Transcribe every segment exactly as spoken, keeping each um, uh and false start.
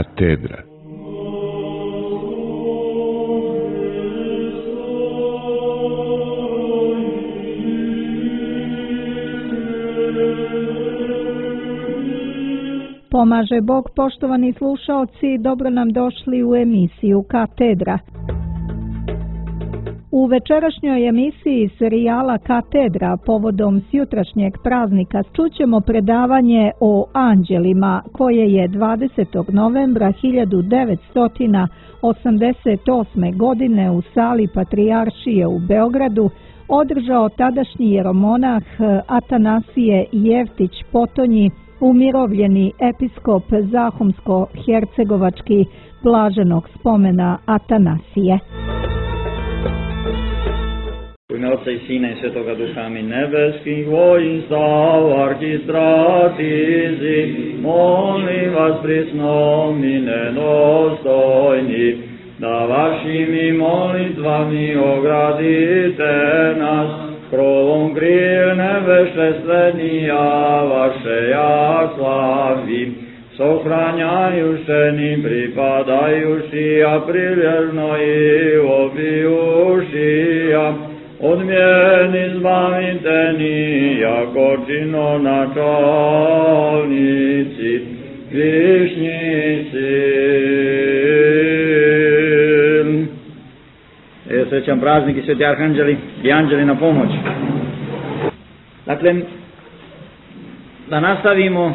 Katedra. Pomaže Bog, poštovani slušaoci, dobro nam došli u emisiju Katedra. U večerašnjoj emisiji serijala Katedra povodom sjutrašnjeg praznika čućemo predavanje o anđelima koje je dvadesetog novembra hiljadu devetsto osamdeset osme. godine u sali Patrijaršije u Beogradu održao tadašnji jeromonah Atanasije Jeftić Potonji, umirovljeni episkop Zahumsko-hercegovački blaženog spomena Atanasije. U ime Otca i Sina i Svetoga Duha, amin. Nebeskih vojska, arhistratizi, molim vas prisnomni nedostojni, da vašimi molitvami ogradite nas, krovom kril nebešestvenija vaše ja slavim, sohranjajuše ni pripadajuši, a prilježno i obijuši, a odmjeni zbavite ni, jako čino načalnici, višnjici. Evo srećan praznik i sveti arhanđeli i anđeli na pomoć. Dakle, da nastavimo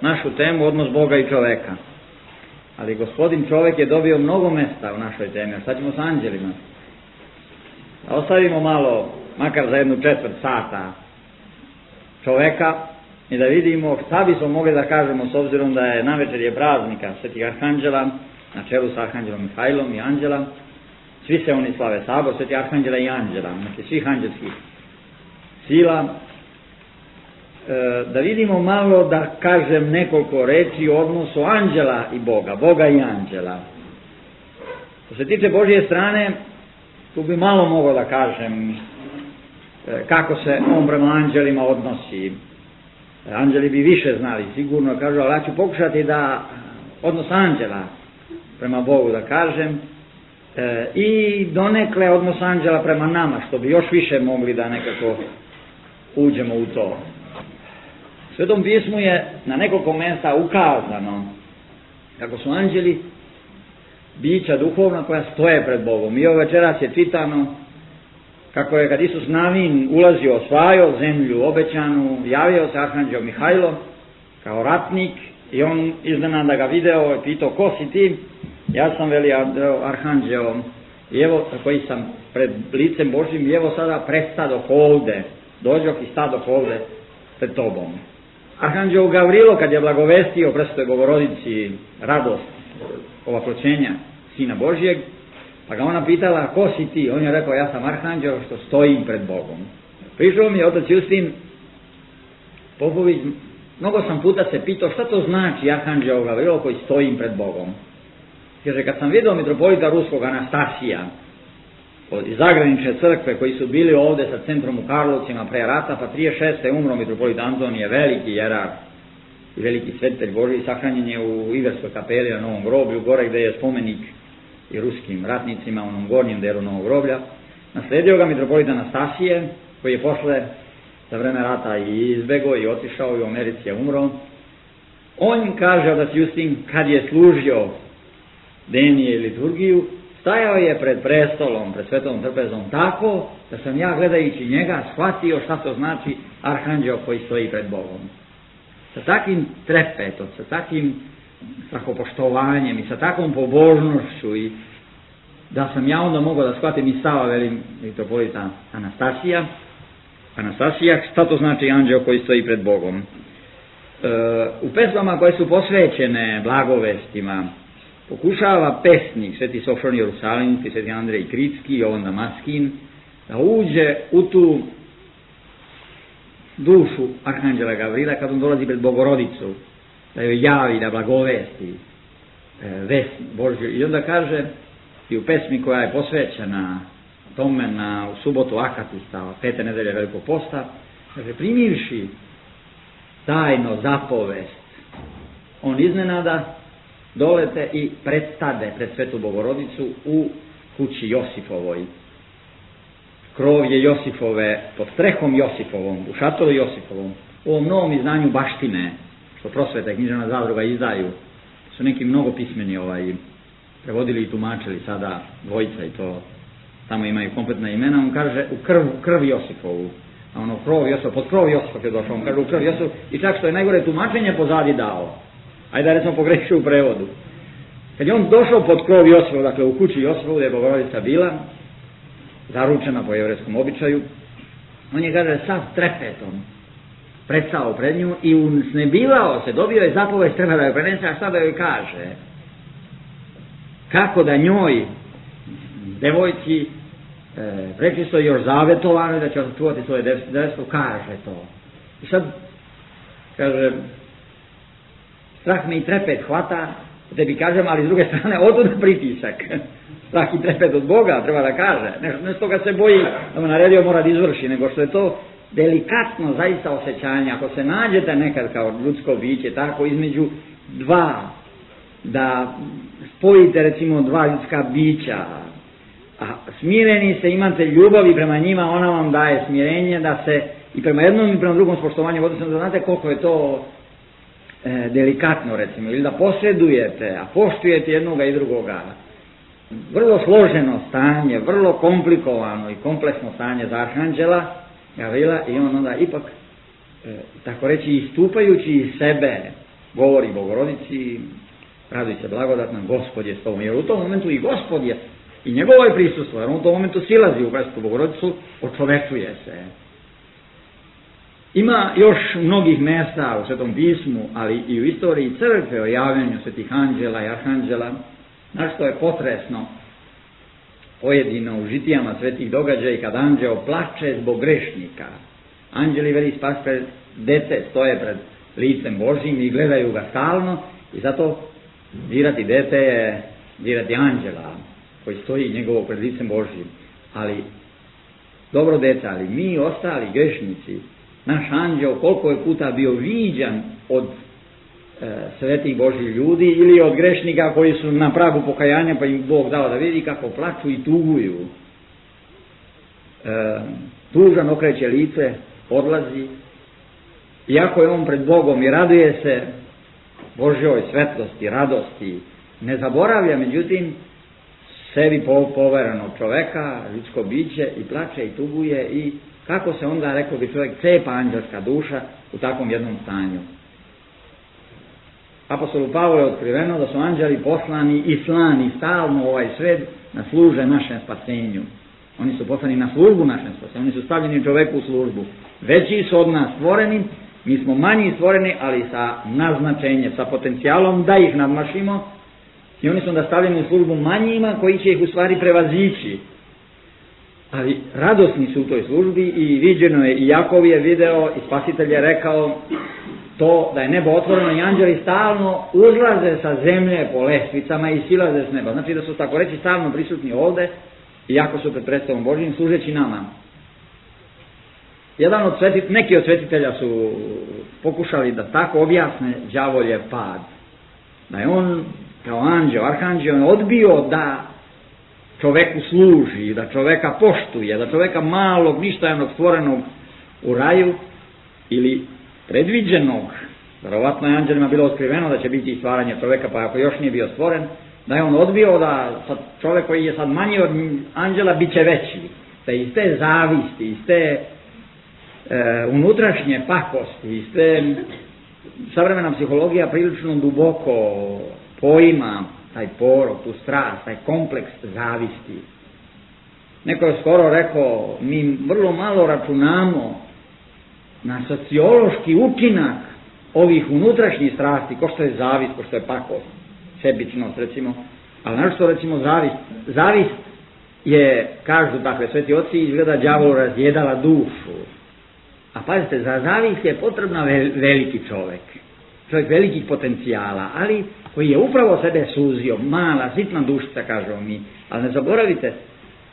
našu temu odnos Boga i čoveka. Ali gospodin čovek je dobio mnogo mesta u našoj temi, a šta ćemo sa anđelima? Da ostavimo malo, makar za jednu četvrt sata, čoveka i da vidimo šta bismo mogli da kažemo s obzirom da je navečer je praznika svetih arhanđela, na čelu sa arhanđelom Mihajlom i anđela. Svi se oni slave sabor, sveti arhanđela i anđela, znači svih anđelskih sila. E, da vidimo malo, da kažem nekoliko reči o odnosu anđela i Boga, Boga i anđela. Što se tiče Božje strane, tu bi malo mogao da kažem e, kako se on prema anđelima odnosi. E, anđeli bi više znali, sigurno kažu, ali ja ću pokušati da odnos anđela prema Bogu da kažem, E, i donekle odnos anđela prema nama, što bi još više mogli da nekako uđemo u to. U Svetom pismu je na nekoliko mjesta ukazano kako su anđeli bića duhovna koja stoje pred Bogom. I ovo večeras je čitano kako je kad Isus Navin ulazio, osvajao zemlju obećanu, javio se arhanđel Mihajlo kao ratnik i on iznenada ga video i pitao, ko si ti? Ja sam, veli arhanđeo, i evo, koji sam pred licem Božjim, i evo sada predstadoh ovde, dođoh i stadoh ovde pred tobom. Arhanđeo Gavrilo, kad je blagovestio Presvetoj Bogorodici radost ovakloćenja Sina Božjeg, pa ga ona pitala, ko si ti? On je rekao, ja sam arhanđeo što stojim pred Bogom. Prišao mi je otac Justin Popović, mnogo sam puta se pitao šta to znači arhanđeo Gavrilo koji stojim pred Bogom. Kaže, kad sam vidio mitropolita ruskog Anastasija iz zagranične crkve koji su bili ovde sa centrom u Karlovcima pre rata, pa trideset šeste. umro mitropolit Antonije, veliki jerar i veliki svetitelj Božji, sahranjen je u Iverskoj kapeli na Novom groblju, gore gde je spomenik i ruskim ratnicima u onom gornjem delu Novog groblja. Nasledio ga mitropolit Anastasije, koji je posle za vreme rata i izbego i otišao i u Americi je umro. On kaže, otac Justin, kad je služio denije i liturgiju, stajao je pred prestolom, pred svetom trpezom tako da sam ja gledajući njega shvatio šta to znači arhanđeo koji stoji pred Bogom. Sa takvim trepetom, sa takvim strahopoštovanjem i sa takvom pobožnošću i da sam ja onda mogao da shvatim i stava, velim, mitropolita Anastasija, Anastasija, šta to znači anđeo koji stoji pred Bogom. E, u pesmama koje su posvećene blagovestima pokušava pesnik, sveti Sofron Jerusalimski, sveti Andrej Kritski, Jovan Damaskin, da uđe u tu dušu arhanđela Gavrila kad on dolazi pred Bogorodicu, da joj javi, da blagovesti e, vest Božju. I onda kaže, i u pesmi koja je posvećena tome na, u subotu Akatista, pete nedelje Velikog posta, kaže, primivši tajno zapovest, on iznenada dolete i predstade pred Svetu Bogorodicu u kući Josifovoj. Krov je Josifove, pod strehom Josifovom, u šatoru Josifovom, u ovom novom izdanju baštine, što Prosveta i književna zadruga izdaju, su neki mnogo pismeni ovaj, prevodili i tumačili sada dvojica i to, tamo imaju kompletna imena, on kaže u krv, krv Josifovu, a ono krov Josifov, pod krov Josifov je došao, on kaže u krv Josifov, i čak što je najgore tumačenje pozadi dao, ajde da recimo pogrešio u prevodu. Kad je on došao pod krov Josifov, dakle u kući Josifovu gdje je Bogorodica bila, zaručena po jevrejskom običaju, on je, kaže, sav trepetom prestao pred nju i usnebivao se, dobio je zapovest, treba da joj prenese, a šta da joj kaže? Kako da njoj, devojci, e, prečisto još zavetovano da će očuvati svoje devstvo, kaže to. I sad, kaže, strah me i trepet hvata, tebi kažem, ali s druge strane, otud pritisak. Strah i trepet od Boga, treba da kaže. Ne, ne s toga se boji, da mu naredio mora da izvrši, nego što je to delikatno zaista osjećanje. Ako se nađete nekad kao ljudsko biće, tako između dva, da spojite recimo dva ljudska bića, a smireni se, imate ljubav i prema njima, ona vam daje smirenje da se i prema jednom i prema drugom spoštovanju, odnosno da znate koliko je to e, delikatno recimo, ili da posredujete, a poštujete jednoga i drugoga. Vrlo složeno stanje, vrlo komplikovano i kompleksno stanje za arhanđela Gavrila, i on onda ipak, e, tako reći, istupajući iz sebe, govori Bogorodici, raduj se blagodatna, Gospod je s tobom, jer u tom momentu i Gospod je, i njegovo je prisustvo, jer on u tom momentu silazi u Presvetu Bogorodicu, očovečuje se. Ima još mnogih mjesta u Svetom pismu, ali i u istoriji crkve o javljanju svetih anđela i arhanđela, na što je potresno pojedino u žitijama svetih događaja kad anđeo plače zbog grešnika. Anđeli veli spasitelj, dete stoje pred licem Božjim i gledaju ga stalno, i zato dirati dete je dirati anđela koji stoji njegovo pred licem Božjim. Ali dobro dete, ali mi ostali grešnici, naš anđeo koliko je puta bio viđan od e, svetih Božjih ljudi ili od grešnika koji su na pragu pokajanja, pa im Bog dao da vidi kako plaču i tuguju. E, tužan okreće lice, odlazi, iako je on pred Bogom i raduje se Božjoj svetlosti, radosti, ne zaboravlja međutim sebi poverenog čoveka, ljudsko biće, i plače i tuguje, i kako se onda, rekao bi čovjek, cepa anđelska duša u takvom jednom stanju. Apostolu Pavlu je otkriveno da su anđeli poslani i slani stalno u ovaj svet da služe našem spasenju. Oni su poslani na službu našem spasenju, oni su stavljeni čoveku u službu. Veći su od nas stvoreni, mi smo manji stvoreni, ali sa naznačenjem, sa potencijalom da ih nadmašimo, i oni su onda stavljeni u službu manjima koji će ih u stvari prevazići. Ali radosni su u toj službi, i viđeno je, i Jakov je video, i Spasitelj je rekao to da je nebo otvoreno i anđeli stalno uzlaze sa zemlje po lestvicama i silaze s neba. Znači da su, tako reći, stalno prisutni ovde, iako su pred predstavom Božjim, služeći nama. Jedan od svetit, neki od svetitelja su pokušali da tako objasne đavoljev pad. Da je on kao anđeo, arhanđeo, odbio da čoveku služi, da čoveka poštuje, da čoveka malog, ništajnog stvorenog u raju ili predviđenog, verovatno je anđelima bilo otkriveno da će biti stvaranje čoveka, pa ako još nije bio stvoren, da je on odbio da sad čovek koji je sad manji od anđela bit će veći, da iz te zavisti, iz te e, unutrašnje pakosti, iz te savremena psihologija prilično duboko poima taj porok, tu strast, taj kompleks zavisti. Neko je skoro rekao, mi vrlo malo računamo na sociološki učinak ovih unutrašnjih strasti, ko što je zavist, ko što je pakost, sebičnost recimo, ali našto recimo zavist. Zavist je, kažu takve sveti oci, izgleda đavolu razjedala dušu. A pazite, za zavist je potrebna veliki čovjek, čovjek velikih potencijala, ali koji je upravo sebe suzio, mala, sitna dušica, kažemo mi, ali ne zaboravite,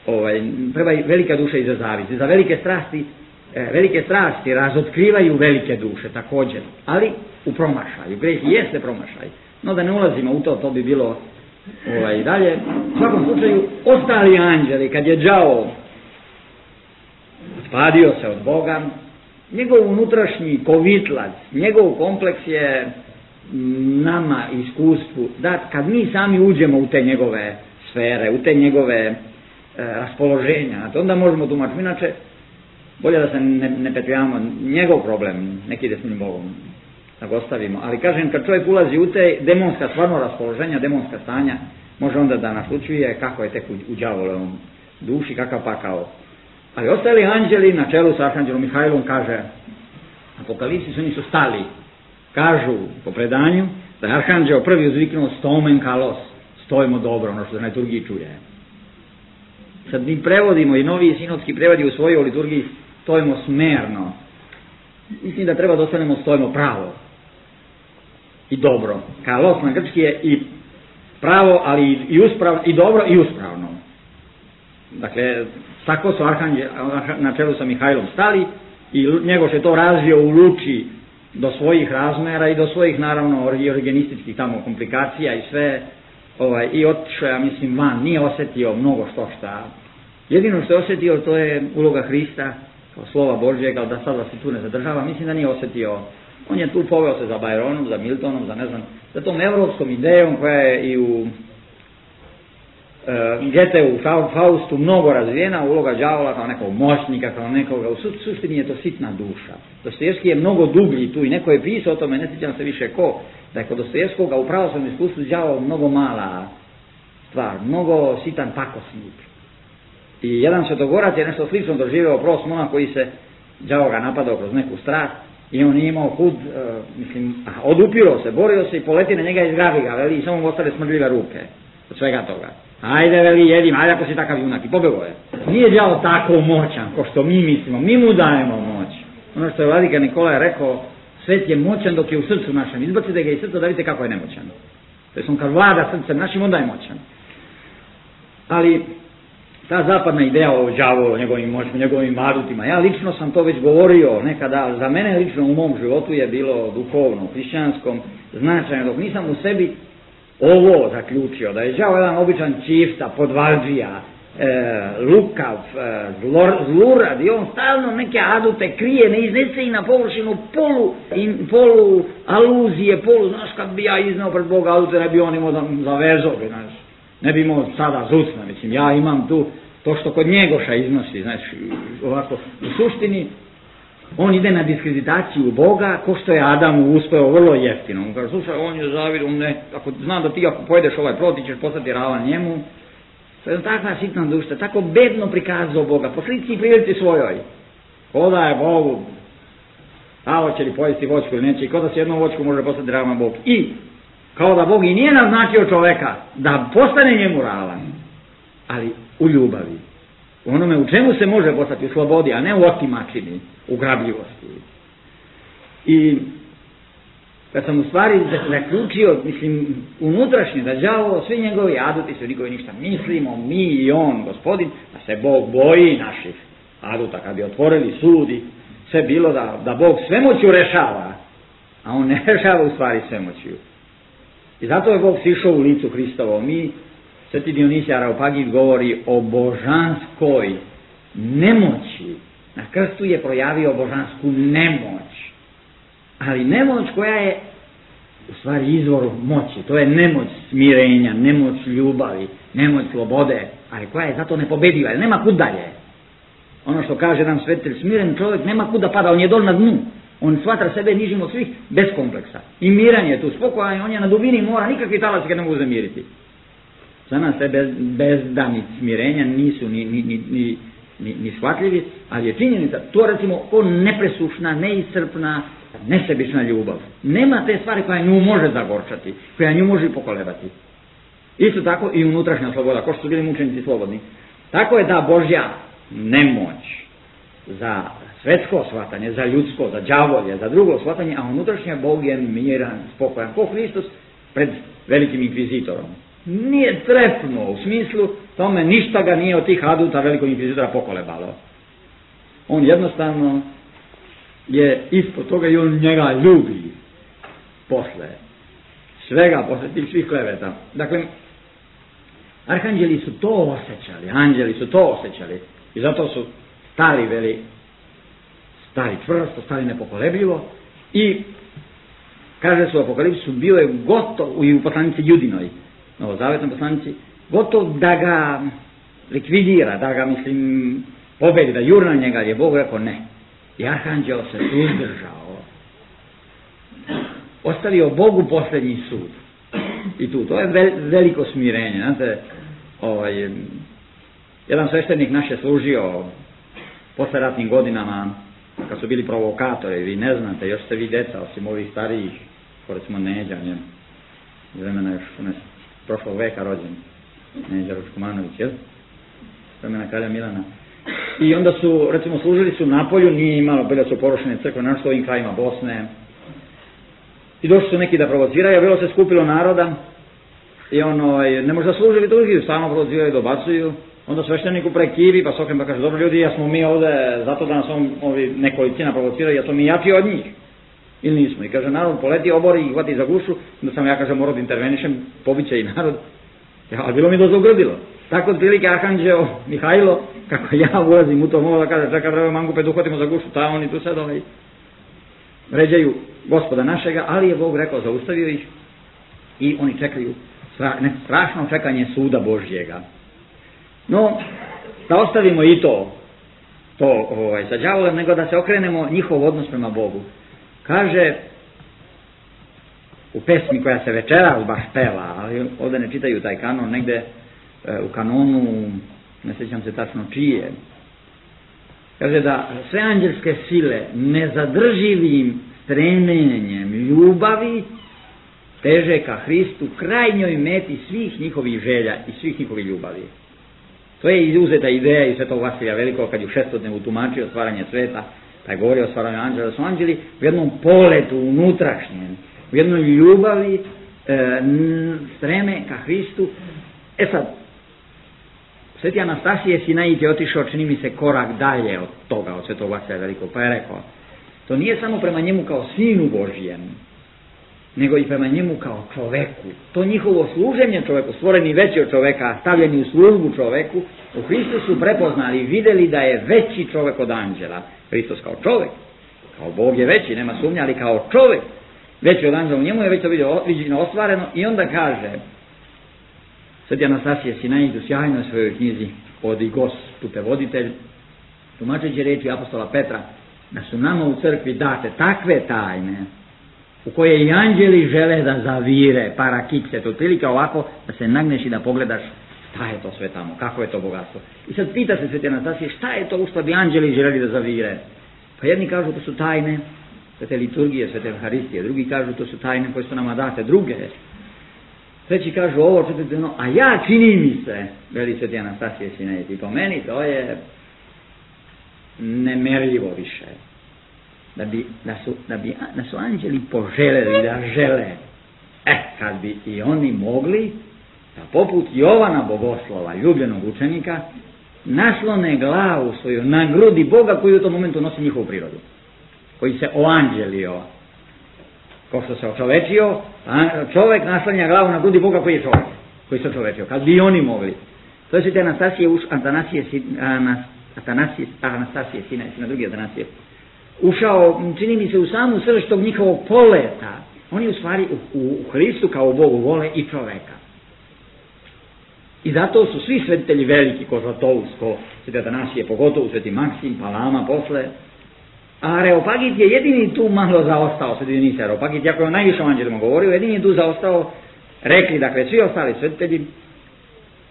ovaj, treba i velika duša i za zavist, za velike strasti, e, velike strasti razotkrivaju velike duše također, ali u promašaju, greh jeste promašaj, No da ne ulazimo u to, to bi bilo ovaj, i dalje. U svakom slučaju, ostali anđeli, kad je đavo spadio se od Boga, njegov unutrašnji kovitlac, njegov kompleks je nama iskustvu dat kad mi sami uđemo u te njegove sfere, u te njegove e, raspoloženja. Znači, onda možemo tumačiti. Inače, bolje da se ne, ne petljamo. Njegov problem, neki ide s njim Bogom, da ga ostavimo. Ali kažem, kad čovjek ulazi u te demonska stvarno raspoloženja, demonska stanja, može onda da naslučuje kako je tek u, u đavolevom duši, kakav pakao. Ali ostali anđeli na čelu sa arhanđelom Mihajlom, kaže Apokalipsis, oni su stali. Kažu po predanju da je arhanđel prvi uzviknuo stomen kalos, stojimo dobro, ono što se na liturgiji čuje. Sad mi prevodimo i novi sinodski prevodi u svojoj liturgiji stojimo smerno. Mislim da treba da ostanemo stojimo pravo i dobro. Kalos na grčki je i pravo, ali i, usprav, i dobro i uspravno. Dakle, tako su arhanđel na čelu sa Mihajlom stali i Njegoš je to razvio u luči do svojih razmera i do svojih, naravno, origenističkih tamo komplikacija i sve, ovaj, i otišao, ja mislim, van, nije osjetio mnogo što šta. Jedino što je osjetio, to je uloga Hrista, kao slova Božjeg, ali da sad da se tu ne zadržava, mislim da nije osjetio. On je tu poveo se za Byronom, za Miltonom, za ne znam, za tom evropskom idejom koja je i u Uh, Gete u Faustu mnogo razvijena, uloga đavola kao nekog moćnika, kao nekoga, u suštini je to sitna duša. Dostojevski je mnogo dublji tu i neko je pisao o tome, ne sjećam se više ko, da je kod Dostojevskoga u pravoslavnom iskustvu đavol mnogo mala stvar, mnogo sitan pakosnik. I jedan svetogorac je nešto slično doživeo prost monah koji se đavo ga napadao kroz neku strast i on nije imao kud, uh, mislim, odupiro se, borio se i poleti na njega i izgrabi ga, veli, i samo mu ostale smrdljive ruke od svega toga. Ajde, veli, jedim, ajde ako si takav junak. I pobegao je. Nije đavo tako moćan, ko što mi mislimo. Mi mu dajemo moć. Ono što je vladika Nikolaj rekao, svet je moćan dok je u srcu našem. Izbacite ga iz srca da vidite kako je nemoćan. To je on kad vlada srcem našim, onda je moćan. Ali ta zapadna ideja o đavolu, o njegovim moćima, njegovim adutima, ja lično sam to već govorio nekada, za mene lično u mom životu je bilo duhovno, hrišćanskom, značajno, dok nisam u sebi ovo zaključio, da je đavo jedan običan čifta, podvalđija, e, lukav, e, zlor, zlurad i on stalno neke adute krije, ne iznese i na površinu polu, in, polu aluzije, polu, znaš, kad bi ja iznao pred Boga adute, ne bi on imao za, za vezovi, znaš, ne bi imao sada zucna, mislim, ja imam tu to što kod Njegoša iznosi, znaš, ovako, u suštini, on ide na diskreditaciju Boga, ko što je Adamu uspeo vrlo jeftino. On kaže, slušaj, on je zavid, on ne, ako zna da ti ako pojedeš ovaj plod, ti ćeš postati ravan njemu. To je takva sitna duša, tako bedno prikazao Boga, po slici i prilici svojoj. Ko da je Bogu, a hoće li pojesti voćku ili neće, i ko da se jednom voćku može postati ravan Bog. I, kao da Bog i nije naznačio čoveka da postane njemu ravan, ali u ljubavi. U onome u čemu se može postati, u slobodi, a ne u otimačini, u grabljivosti. I kad sam u stvari zaključio, mislim, unutrašnje, da đavo, svi njegovi aduti su nikovi ništa mislimo, mi i on, gospodin, da se Bog boji naših aduta, kad bi otvorili sudi, sve bilo da, da Bog svemoću rešava, a on ne rešava u stvari svemoću. I zato je Bog sišao u licu Hristovo. Mi, Sveti Dionisije Areopagit govori o božanskoj nemoći. Na krstu je projavio božansku nemoć. Ali nemoć koja je u stvari izvor moći. To je nemoć smirenja, nemoć ljubavi, nemoć slobode, ali koja je zato nepobediva, jer nema kud dalje. Ono što kaže nam svetitelj, smiren čovjek nema kud da pada, on je dol na dnu. On smatra sebe nižim od svih bez kompleksa. I miran je tu, spokojan, on je na dubini mora, nikakvi talasi ga ne mogu zamiriti. Za nas sve bez, bezdani smirenja nisu ni, ni, ni, ni, ni, ni shvatljivi, ali je činjenica, to recimo o nepresušna, neiscrpna, nesebična ljubav. Nema te stvari koja nju može zagorčati, koja nju može pokolebati. Isto tako i unutrašnja sloboda, ko što su bili mučenici slobodni. Tako je ta Božja nemoć za svetsko shvatanje, za ljudsko, za đavolje, za drugo shvatanje, a unutrašnja Bog je miran, spokojan, ko Hristos pred velikim inkvizitorom. Nije trepnuo, u smislu tome ništa ga nije od tih aduta velikog inkvizitora pokolebalo. On jednostavno je ispod toga i on njega ljubi posle svega, posle tih svih kleveta. Dakle, arhanđeli su to osjećali, anđeli su to osjećali i zato su stali veli, stali čvrsto, stali nepokolebljivo i kaže su u Apokalipsu, bio je gotov, i u poslanici Judinoj, novozavetnoj poslanici, gotov da ga likvidira, da ga, mislim, pobedi, da jurna njega, je Bog rekao ne. I arhanđel se suzdržao. Ostavio Bogu posljednji sud. I tu, to je veliko smirenje. Znate, ovaj, jedan sveštenik naš je služio posle ratnim godinama, kad su bili provokatori, vi ne znate, još ste vi deca, osim ovih starijih, ko recimo Neđa, njem, vremena još unes, prošlog veka rođen, Neđa Ruškomanović, jel? Vremena kralja Milana. I onda su, recimo, služili su na polju, nije imalo, bile su porušene crkve, našto ovim krajima Bosne. I došli su neki da provociraju, a bilo se skupilo naroda i ono, ne možda služili drugi, stalno provociraju, dobacuju. Onda svešteniku prekivi, pa Sokren pa kaže, dobro ljudi, ja smo mi ovde zato da nas on, ovi nekolicina provociraju, ja to mi jači od njih. Ili nismo. I kaže, narod poleti, obori i hvati za gušu, onda sam ja, kaže, morao da intervenišem, pobiće i narod. Ja, ali bilo mi dosta ugrdilo. Tako otprilike arhanđeo Mihajlo, kako ja ulazim u to, mogu da kaže, čeka treba mangupe da uhvatimo za gušu, ta oni tu sad ovaj, vređaju Gospoda našega, ali je Bog rekao, zaustavio ih i oni čekaju stra, ne, strašno čekanje suda Božjega. No, da ostavimo i to, to ovaj, sa đavolom, nego da se okrenemo njihov odnos prema Bogu. Kaže u pesmi koja se večeras baš peva, ali ovdje ne čitaju taj kanon, negde e, u kanonu, ne sjećam se tačno čije, kaže da sve anđelske sile nezadrživim stremenjem ljubavi teže ka Hristu, krajnjoj meti svih njihovih želja i svih njihovih ljubavi. To je izuzeta ideja i Svetog Vasilija Velikog kad je u šestodnevu tumačio stvaranje sveta, pa je govorio o stvaranju anđela, da su anđeli u jednom poletu unutrašnjem, u jednoj ljubavi e, n, streme ka Hristu. E sad, Sveti Anastasije Sinait je otišao, čini mi se, korak dalje od toga, od Svetog Vasilija Velikog, pa je rekao, to nije samo prema njemu kao sinu Božijem, nego i prema njemu kao čoveku. To njihovo služenje čoveku, stvoreni veći od čoveka, stavljeni u službu čoveku, u Hristu su prepoznali i vidjeli da je veći čovek od anđela. Hristos kao čovek, kao Bog je veći, nema sumnja, ali kao čovek, veći od anđela, u njemu je već to viđeno ostvareno i onda kaže, Sveti Anastasije Sinait u sjajnoj svojoj knjizi Odi Gospute voditelj, tumačeći reči apostola Petra, da su nama u crkvi date takve tajne u koje i anđeli žele da zavire, parakikse, to otprilike ovako da se nagneš i da pogledaš šta je to sve tamo, kako je to bogatstvo. I sad pita se Sveti Anastasije, šta je to u što bi anđeli želeli da zavire? Pa jedni kažu to su tajne svete liturgije, svete Evharistije, drugi kažu to su tajne koje su nama date, druge. Treći kažu ovo, četvrti ono, a ja čini mi se, veli Sveti Anastasije Sinait, i po meni to je nemerljivo više. Da, bi, da, su, da, bi, da su anđeli poželjeli da žele, e, kad bi i oni mogli, da poput Jovana Bogoslova, ljubljenog učenika, naslone glavu svoju na grudi Boga koji u tom momentu nosi njihovu prirodu, koji se oanđelio, ko što se očovečio, čovek naslanja glavu na grudi Boga koji je čovek, koji se očovečio, kad bi oni mogli. To je Sveti Anastasije, Atanasije, Atanasije, Anastasije, sina, sina drugi Atanasije, ušao, čini mi se, u samu srž tog njihovog poleta. Oni u stvari u, u Hristu kao Bogu vole i čoveka. I zato su svi svetitelji veliki, ko Zlatousko, Sveti Atanasije, pogotovo Sveti Maksim, Palama posle. A Areopagit je jedini tu malo zaostao, Sveti Dionise Areopagit, jako je on najviše o anđelima govorio, jedini je tu zaostao, rekli, dakle, svi ostali svetitelji,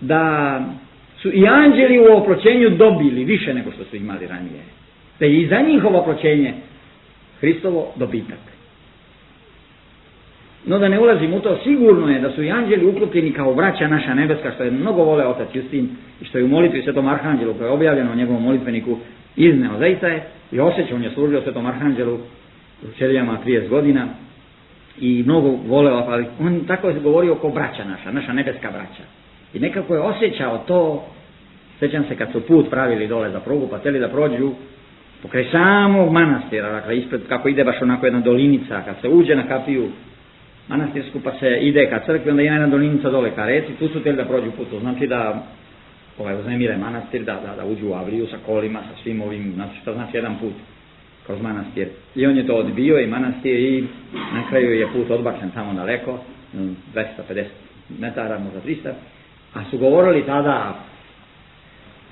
da su i anđeli u oproćenju dobili više nego što su imali ranije. Da je i za njihovo oproćenje Hristovo dobitak. No da ne ulazim u to, sigurno je da su i anđeli uklopljeni kao braća naša nebeska, što je mnogo vole otac Justin i što je u molitvi Svetom Arhanđelu, koje je objavljeno u njegovom molitveniku, izneo. Zaista je i osjećao, on je služio Svetom Arhanđelu u Ćelijama trideset godina i mnogo voleo, ali on tako je govorio kao braća naša, naša nebeska braća. I nekako je osjećao to, sjećam se kad su put pravili dole za prugu, pa htjeli da prođu pokraj samog manastira, dakle ispred, kako ide baš onako jedna dolinica, kad se uđe na kapiju, manastirsku, pa se ide ka crkvi, onda ima jedna dolinica dole ka reci, tu su htjeli da prođu put, to znači da ovaj, uznemire manastir, da, da, da uđu u Avriju sa kolima, sa svim ovim, znači što znači jedan put kroz manastir. I on je to odbio i manastir i na kraju je put odbačen samo daleko, dvesta pedeset metara, možda trista, a su govorili tada: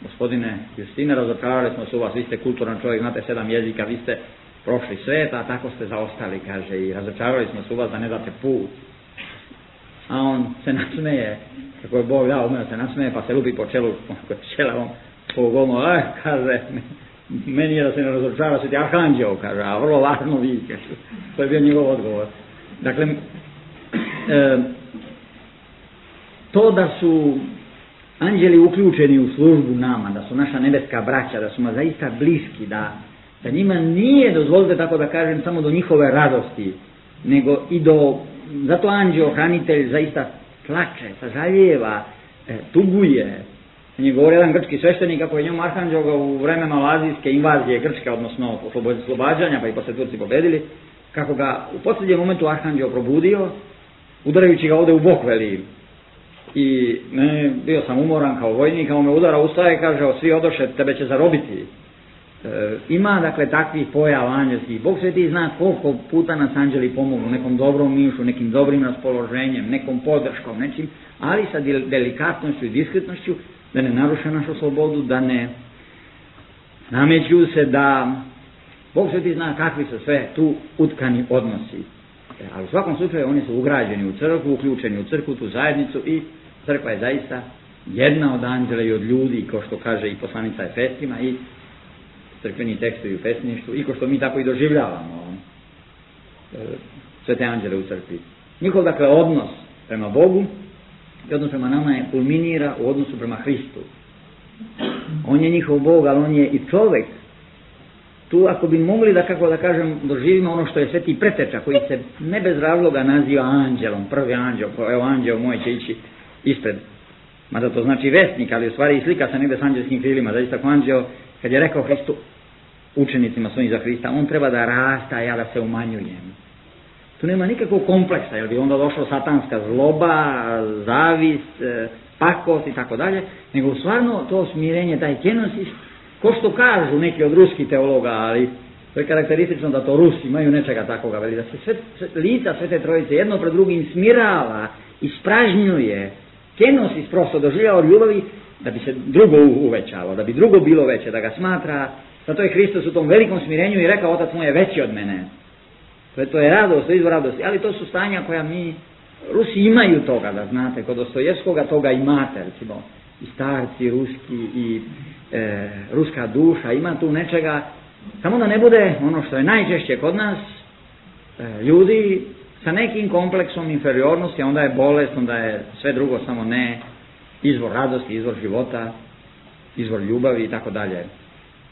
gospodine Justine, razočarali smo se u vas, vi ste kulturan čovjek, znate sedam jezika, vi ste prošli svet, a tako ste zaostali, kaže, i razočarali smo se u vas da ne date put. A on se nasmeje, kako je Bog dao, umeo se nasmeje, pa se lupi po čelu, po čelavom, po golmo, eh, kaže, meni je da se ne razočara, sveti arhanđeo, kaže, a vrlo važno vi, kaže, to je bio njegov odgovor. Dakle, e, to da su anđeli uključeni u službu nama, da su naša nebeska braća, da su nam zaista bliski, da, da njima nije, dozvolite tako da kažem, samo do njihove radosti, nego i do, zato anđeo, hranitelj, zaista plače, sažaljeva, e, tuguje. On je govorio jedan grčki sveštenik, kako je njom arhanđeo ga u vreme malazijske invazije Grčke, odnosno oslobađanja, pa i posle Turci pobedili, kako ga u posljednjem momentu arhanđeo probudio, udarajući ga ovde u bok, veli. I ne, bio sam umoran kao vojnik, a on me udara, ustaje, kaže, svi odoše, tebe će zarobiti. E, ima, dakle, takvih pojava anđelskih. Bog sveti zna koliko puta nas anđeli pomogu, nekom dobrom mišu, nekim dobrim raspoloženjem, nekom podrškom, nečim, ali sa delikatnošću i diskretnošću, da ne naruše našu slobodu, da ne nameću se, da Bog sveti zna kakvi su sve tu utkani odnosi. E, ali u svakom slučaju oni su ugrađeni u crkvu, uključeni u crkvu, tu zajednicu, i crkva je zaista jedna od anđela i od ljudi, kao što kaže i poslanica Efesima, i crkveni tekstovi u pesništvu, i kao što mi tako i doživljavamo e, sve te anđele u crkvi. Njihov, dakle, odnos prema Bogu i odnos prema nama je kulminira u odnosu prema Hristu. On je njihov Bog, ali on je i čovjek. Tu, ako bi mogli da, kako da kažem, doživimo ono što je sveti preteča, koji se ne bez razloga naziva anđelom, prvi anđel, evo anđel moj će ići ispred, mada to znači vesnik, ali u stvari i slika se negde s anđelskim krilima, zaista kao anđel, kad je rekao Hristu, učenicima svojim za Hrista, on treba da rasta, a ja da se umanjujem. Tu nema nikakvog kompleksa, jer bi onda došla satanska zloba, zavist, pakost i tako dalje, nego stvarno to smirenje, taj kenosis, ko što kažu neki od ruskih teologa, ali to je karakteristično da to Rusi imaju nečega takoga, veli da se sve, sve, lica Svete Trojice jedno pred drugim smirava, ispražnjuje, kenosis prosto doživljava od ljubavi da bi se drugo uvećalo, da bi drugo bilo veće, da ga smatra. Zato je Hristos u tom velikom smirenju i rekao, otac moj je veći od mene. To je, to je radost, to je izvor radosti, ali to su stanja koja mi, Rusi imaju toga, da znate, kod Dostojevskoga toga imate, recimo, i starci ruski, i e, ruska duša, ima tu nečega, samo da ne bude ono što je najčešće kod nas, e, ljudi sa nekim kompleksom inferiornosti, onda je bolest, onda je sve drugo, samo ne izvor radosti, izvor života, izvor ljubavi i tako dalje.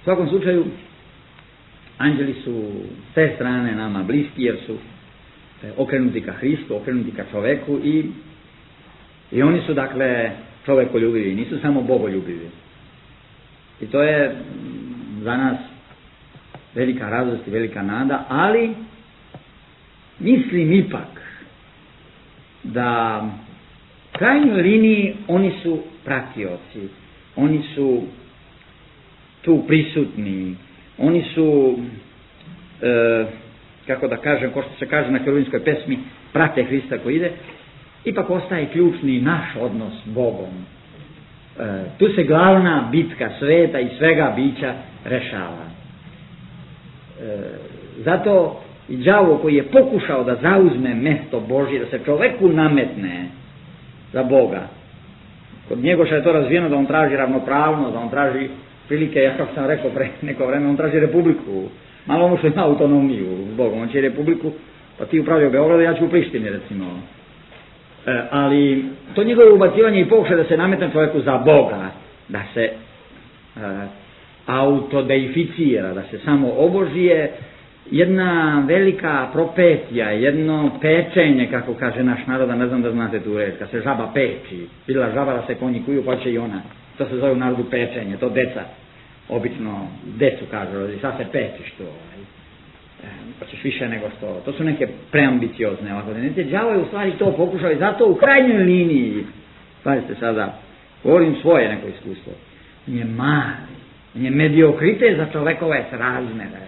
U svakom slučaju, anđeli su s te strane nama bliski, jer su okrenuti ka Hristu, okrenuti ka čoveku, i, i oni su, dakle, čovekoljubivi, nisu samo bogoljubivi. I to je za nas velika radost i velika nada, ali mislim ipak da u krajnjoj liniji oni su pratioci, oni su tu prisutni, oni su, e, kako da kažem, ko što se kaže na kerubinskoj pesmi, prate Hrista koji ide. Ipak ostaje ključni naš odnos s Bogom. E, tu se glavna bitka sveta i svega bića rešava. E, zato i đavo koji je pokušao da zauzme mesto Božje, da se čoveku nametne za Boga. Kod Njegoša je to razvijeno da on traži ravnopravnost, da on traži prilike, ja kako sam rekao pre neko vreme, on traži republiku. Malo mu što ima autonomiju s Bogom, on će republiku, pa ti upravljaju Beogradu, ja ću u Prištini, recimo. E, ali to njegovo ubacivanje i pokušaj da se nametne čovjeku za Boga, da se e, autodeificira, da se samo obožije, jedna velika propetija, jedno pečenje, kako kaže naš narod, ne znam da znate tu reč, kad se žaba peči, bila žaba da se konji kuju, pa će i ona. To se zove u narodu pečenje, to deca, obično decu kažu, sad se pečiš to. pa ćeš više nego što. To su neke preambiciozne ovako. Đavo je u stvari to pokušao i zato u krajnjoj liniji, pazite sada, govorim svoje neko iskustvo, on je mali, on je mediokrite za čovekove srazmere.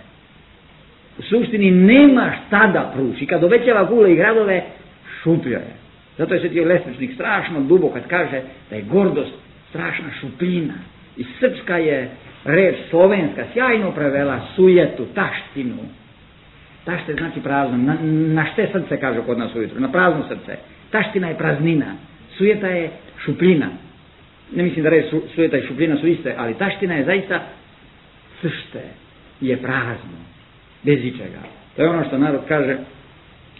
U suštini nema šta da pruči. Kad obećava kule i gradove, šupljo je. Zato je Sveti Lesničnik strašno duboko kad kaže da je gordost strašna šupljina. I srpska je reč slovenska sjajno prevela sujetu, taštinu. Tašte znači prazno. Na, na šte srce kaže kod nas ujutro? Na prazno srce. Taština je praznina. Sujeta je šupljina. Ne mislim da reč su, sujeta i šupljina su iste, ali taština je zaista sršte. Je prazno. Bez ičega. To je ono što narod kaže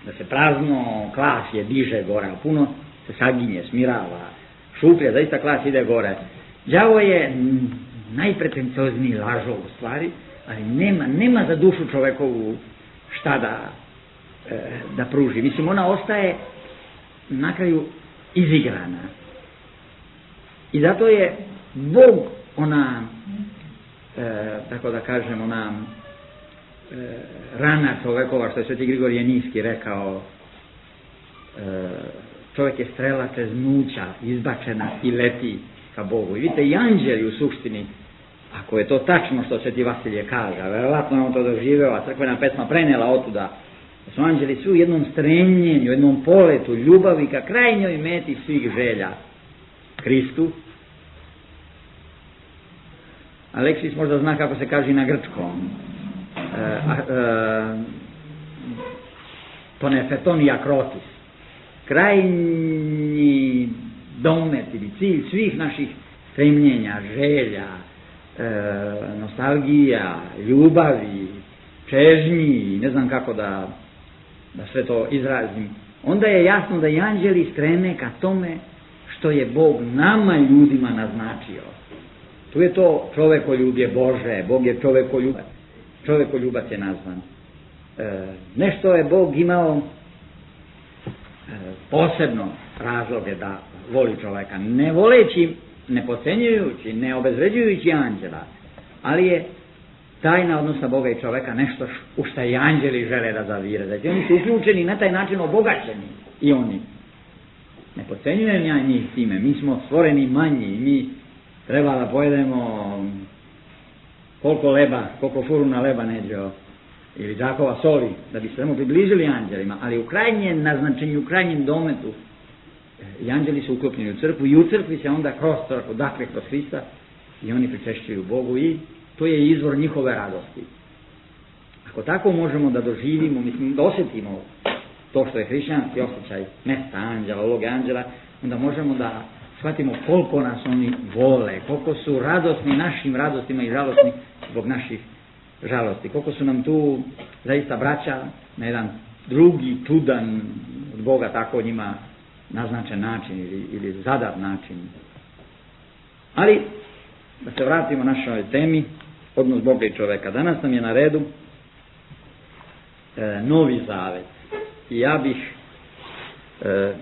da se prazno klasje diže gore, a puno se saginje, smirava. Šuplje, zaista klas ide gore. Đavo je najpretenciozniji lažov u stvari, ali nema, nema za dušu čovekovu šta da, e, da pruži. Mislim, ona ostaje na kraju izigrana. I zato je Bog ona, e, tako da kažem, ona e, rana čovekova, što je Sveti Grigorije Niski rekao, e, čovjek je strela čeznuća, izbačena i leti ka Bogu. I vidite, i anđeli u suštini, ako je to tačno što Sveti Vasilije kaže, a verovatno je on to doživeo, a crkvena pesma prenela otuda, da su anđeli svi u jednom strenjenju, u jednom poletu ljubavi ka krajnjoj meti svih želja, Hristu. Aleksis možda zna kako se kaže na grčkom. E, e, Tonefeton akrotis. Krajnji domet ili cilj svih naših stremljenja, želja, e, nostalgija, ljubavi, čežnji, ne znam kako da, da sve to izrazim, onda je jasno da i anđeli streme ka tome što je Bog nama ljudima naznačio. Tu je to čovekoljubje Bože, Bog je čovekoljubac, čovekoljubac je nazvan. E, nešto je Bog imao e, posebno razloge da voli čoveka, ne voleći, ne podcenjujući, ne obezvređujući anđela, ali je tajna odnosa Boga i čoveka nešto u šta i anđeli žele da zavire. Znači oni su uključeni na taj način obogaćeni i oni. Ne podcenjujem ja njih time, mi smo stvoreni manji, mi treba da pojedemo koliko leba, koliko furuna leba neđeo ili džakova soli, da bi se samo približili anđelima, ali u krajnjem naznačenju, u krajnjem dometu i anđeli su uklopljeni u crkvu i u crkvi se onda kroz crkvu, dakle kroz Hrista, i oni pričešćuju Bogu i to je izvor njihove radosti. Ako tako možemo da doživimo, mislim da osjetimo to što je hrišćanski osjećaj mesta anđela, uloge anđela, onda možemo da shvatimo koliko nas oni vole, koliko su radosni našim radostima i žalostni zbog naših žalosti, koliko su nam tu zaista braća na jedan drugi, čudan od Boga tako njima naznačen način ili, ili zadat način. Ali, da se vratimo našoj temi, odnos Boga i čoveka. Danas nam je na redu e, Novi Zavet. I ja bih e,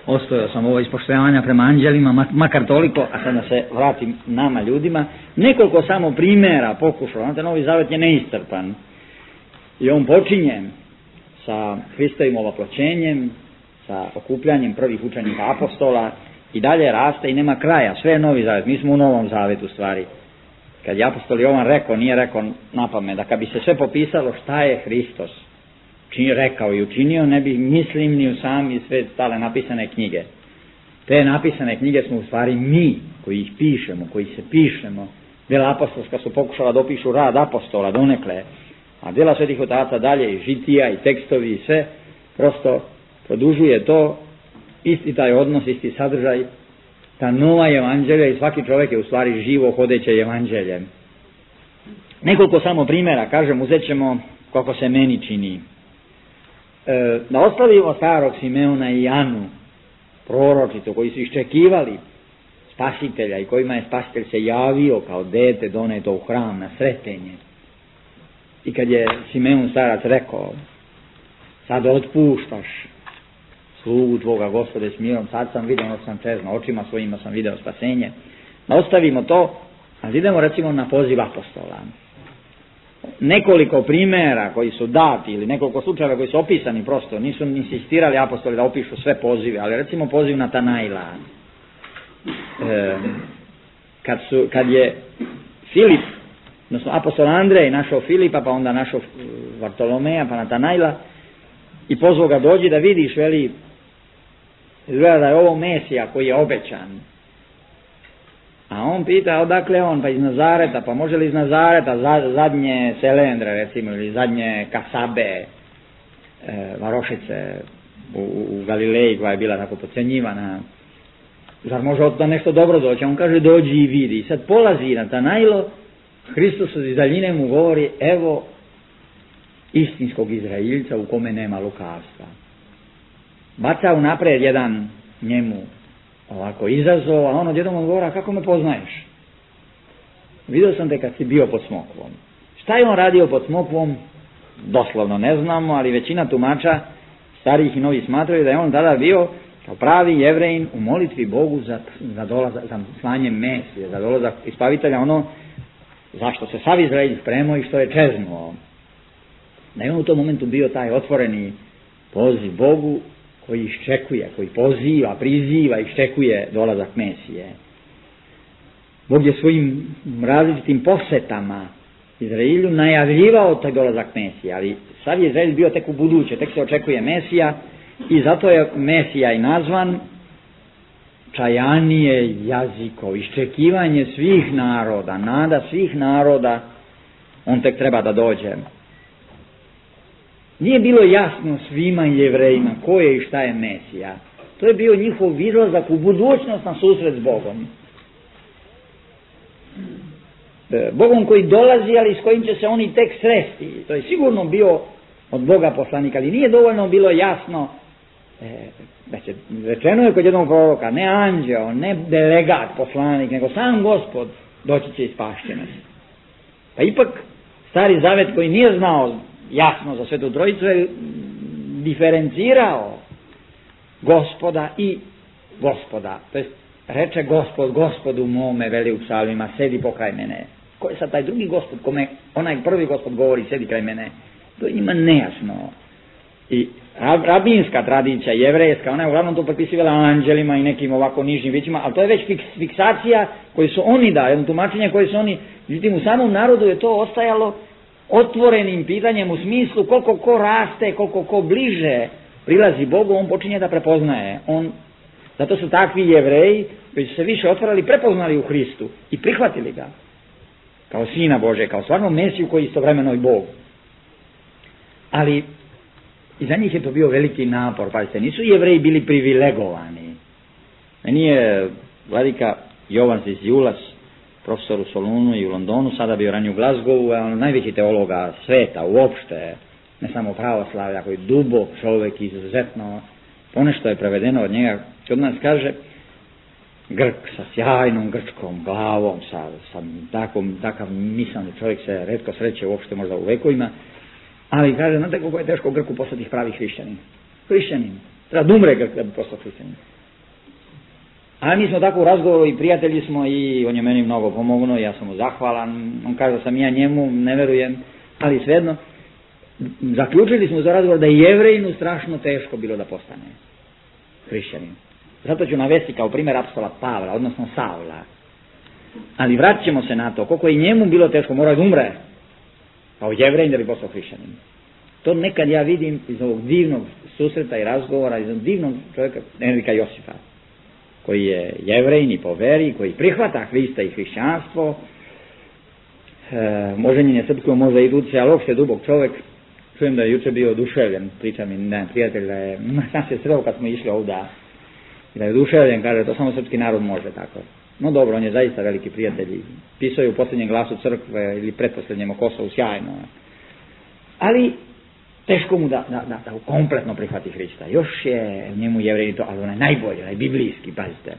ostojao sam ovo ispoštovanja prema anđelima, makar toliko, a sad da se vratim nama ljudima, nekoliko samo primjera pokušao. Znate, Novi Zavet je neistrpan i on počinje sa Hristovim ovoploćenjem, sa okupljanjem prvih učenika apostola i dalje raste i nema kraja. Sve je Novi Zavet, mi smo u Novom Zavetu stvari. Kad je apostol Jovan rekao, nije rekao napamet, da kad bi se sve popisalo šta je Hristos čini rekao i učinio, ne bi mislim ni u sami sve stale napisane knjige. Te napisane knjige smo u stvari mi koji ih pišemo, koji se pišemo. Djela apostolska su pokušala da opišu rad apostola donekle, a djela svetih otaca dalje i žitija i tekstovi i sve prosto produžuje to, isti taj odnos, isti sadržaj, ta nova evanđelja i svaki čovjek je u stvari živo hodeće evanđelje. Nekoliko samo primjera, kažem, uzet ćemo kako se meni čini. E, da ostavimo starog Simeona i Anu, proročicu, koji su iščekivali spasitelja i kojima je spasitelj se javio kao dete doneto u hram na sretenje. I kad je Simeon starac rekao, sad otpuštaš slugu tvoga Gospode s mirom, sad sam vidio, ono sam čezno, očima svojima sam video spasenje. Da ostavimo to, a idemo recimo na poziv apostola. nekoliko primjera koji su dati ili nekoliko slučajeva koji su opisani, prosto nisu insistirali apostoli da opišu sve pozive, ali recimo poziv Natanaila. E, kad, su, kad je Filip, odnosno apostol Andrej našao Filipa, pa onda našao Vartolomeja, pa Natanaila i pozvao ga, dođi da vidiš, veli, izgleda da je ovo Mesija koji je obećan. A on pita odakle on, pa iz Nazareta, pa može li iz Nazareta zadnje Selendre recimo, ili zadnje Kasabe, e, varošice u, u Galileji koja je bila tako podcenjivana, zar može od da nešto dobro doći? On kaže dođi i vidi. I sad polazi Natanailo, Hristos iz daljine mu govori, evo istinskog Izraeljca u kome nema lukavstva. Baca unaprijed jedan njemu ovako izazov, a on odjednom odgovara, kako me poznaješ? Vidio sam te kad si bio pod smokvom. Šta je on radio pod smokvom? Doslovno ne znamo, ali većina tumača, starih i novih, smatraju da je on tada bio kao pravi Jevrejin u molitvi Bogu za, za, dolazak, za slanje Mesije, za dolazak Ispavitelja, ono zašto se sav Izraelj spremao i što je čeznuo. Da je on u tom momentu bio taj otvoreni poziv Bogu koji iščekuje, koji poziva, priziva, iščekuje dolazak Mesije. Bog je svojim različitim posetama Izraelju najavljivao taj dolazak Mesije, ali sad je Izraelj bio tek u buduće, tek se očekuje Mesija i zato je Mesija i nazvan čajanije jaziko, iščekivanje svih naroda, nada svih naroda, on tek treba da dođe. Nije bilo jasno svima Jevrejima ko je i šta je Mesija. To je bio njihov izlazak u budućnost na susret s Bogom. Bogom koji dolazi, ali s kojim će se oni tek sresti. To je sigurno bio od Boga poslanik, ali nije dovoljno bilo jasno, e, da će, rečeno je kod jednog proroka, ne anđeo, ne delegat poslanik, nego sam Gospod doći će i spašće nas. Pa ipak Stari Zavet koji nije znao jasno za Svetu Trojicu je diferencirao Gospoda i Gospoda. To jest reče Gospod, Gospodu mome, veli u psalmima, sedi pokraj mene. Ko je sad taj drugi Gospod, kome onaj prvi Gospod govori, sedi kraj mene? To je njima nejasno. I rabinska tradicija, jevrejska, ona je uglavnom to prepisivala anđelima i nekim ovako nižnim bićima, ali to je već fiks, fiksacija koju su oni dali, jedno tumačenje koje su oni, međutim u samom narodu je to ostajalo otvorenim pitanjem u smislu koliko ko raste, koliko ko bliže prilazi Bogu, on počinje da prepoznaje. On, zato su takvi Jevreji koji su se više otvarali, prepoznali u Hristu i prihvatili ga kao Sina Bože, kao stvarno Mesiju koji istovremeno i Bog. Ali i za njih je to bio veliki napor, pazite, nisu Jevreji bili privilegovani. Meni je vladika Jovan Ziziulas, profesor u Solunu i u Londonu, sada bio ranije u Glasgowu, a on najveći teologa sveta uopšte, ne samo pravoslavlja, koji je dubok čovjek, izuzetno, ponešto je prevedeno od njega, kod nas kaže, Grk sa sjajnom grčkom glavom, sa, sa takom, takav mislani čovjek se retko sreće uopšte možda u vekovima, ali kaže, znate kako je teško Grku postati pravi hrišćanin. Hrišćanin. Treba da umre Grk da bi postao hrišćanin. A mi smo tako u razgovoru i prijatelji smo i on je meni mnogo pomognuo, ja sam mu zahvalan, on kaže da sam ja njemu, ne verujem, ali svejedno, zaključili smo za razgovor da je Jevrejinu strašno teško bilo da postane hrišćanin. Zato ću navesti kao primjer apostola Pavla, odnosno Savla. Ali vratit ćemo se na to, koliko je njemu bilo teško, mora da umre kao Jevrejin da bi postao hrišćanin. To nekad ja vidim iz ovog divnog susreta i razgovora, iz ovog divnog čovjeka, Enrika Josipa, koji je Jevrejin i po veri, koji prihvata Hrista i hrišćanstvo, e, možda srpsko, možda i duce, ali uopšte dubog čovjek. Čujem da je juče bio oduševljen, priča mi ne, prijatelj da je, sam se sreo kad smo išli ovdje, da je oduševljen, kaže, to samo srpski narod može tako. No dobro, on je zaista veliki prijatelj, pisao je u posljednjem glasu crkve ili pretposljednjem o Kosovu, sjajno. Ali teško mu da, da, da, da kompletno prihvati Hrista. Još je njemu Jevrejin to, ali onaj najbolji, onaj biblijski, pazite.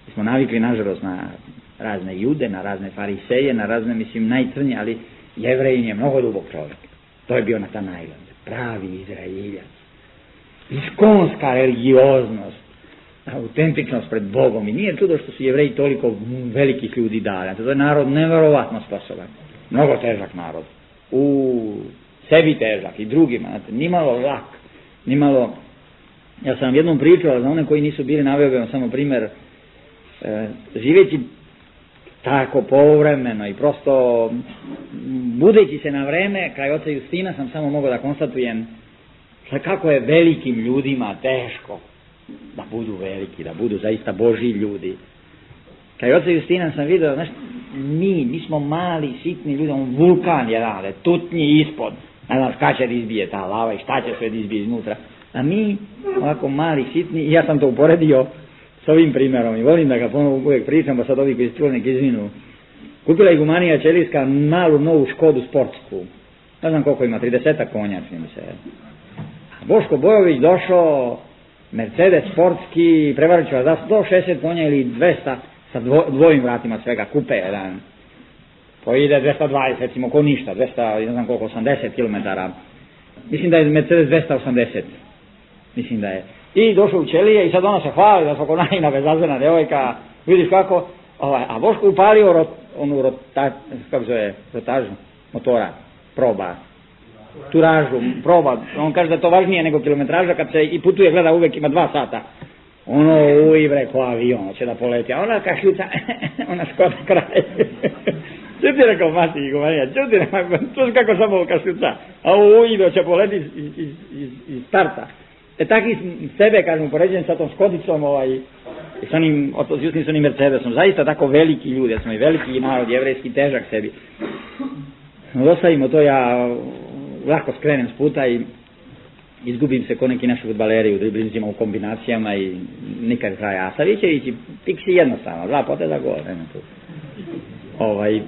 Mi smo navikli, nažalost, na razne jude, na razne fariseje, na razne, mislim, najcrnje, ali Jevrejin je mnogo dubog čovjek. To je bio Natanail, pravi Izraeljac. Iskonska religioznost, autentičnost pred Bogom. I nije čudo što su Jevreji toliko velikih ljudi dali. To je narod neverovatno sposoban. Mnogo težak narod. u sebi težak i drugima, znate, nimalo lak, nimalo, ja sam jednom pričao za one koji nisu bili, naveo bih vam samo primjer, e, živeći tako povremeno i prosto budeći se na vreme kraj oca Justina sam samo mogao da konstatujem kako je velikim ljudima teško da budu veliki, da budu zaista Božji ljudi. Kraj oca Justina sam vidio, znaš, mi, mi smo mali, sitni ljudi, on vulkan jedan, ali tutnji ispod, ne znam kada će da izbije ta lava i šta će sve da izbije iznutra, a mi, ovako mali, sitni, i ja sam to uporedio s ovim primjerom i volim da ga ponovo uvijek pričam, pa sad ovi koji su čuli nek izvinu. Kupila Igumanija Ćelijska malu novu Škodu sportsku, ne znam koliko ima, tridesetak konja, čini mi se. Boško Bojović došao, Mercedes sportski, prevarit ću vas za sto šezdeset konja ili dvesta, sa dvo, dvojim vratima svega, kupe jedan, koji ide dvesta dvadeset, recimo ko ništa, dvesta, ne znam koliko, osamdeset kilometara, mislim da je Mercedes dvesta osamdeset, mislim da je. I došao u Ćelije i sad ona se hvali da svako najina bezazvena devojka, vidiš kako, ovaj, a Boško upalio rot, onu rota, kako zove, rotažu motora, proba, turažu, proba, on kaže da je to važnije nego kilometraža, kad se i putuje, gleda uvek ima dva sata, ono uibre ko avion, će da poleti, a ona kašljuca, ona Škoda kraj. Čuti rekao mati Igumanija, čuti rekao, čuti kako samo kašljuca, a ovo uido će poleti iz, iz, iz, iz starta. E taki sebe, kažem, upoređujem sa tom Škodicom, ovaj, i sa onim, s Justim, s onim Mercedesom, zaista tako veliki ljudi, smo i veliki narod, jevrejski, težak sebi. Ostavimo to, ja lako skrenem s puta i izgubim se ko neki naši fudbaleri u driblinzima, u kombinacijama i nikad kraja. A Savićević, piksi jednostavno, dva poteza gol. Ovaj,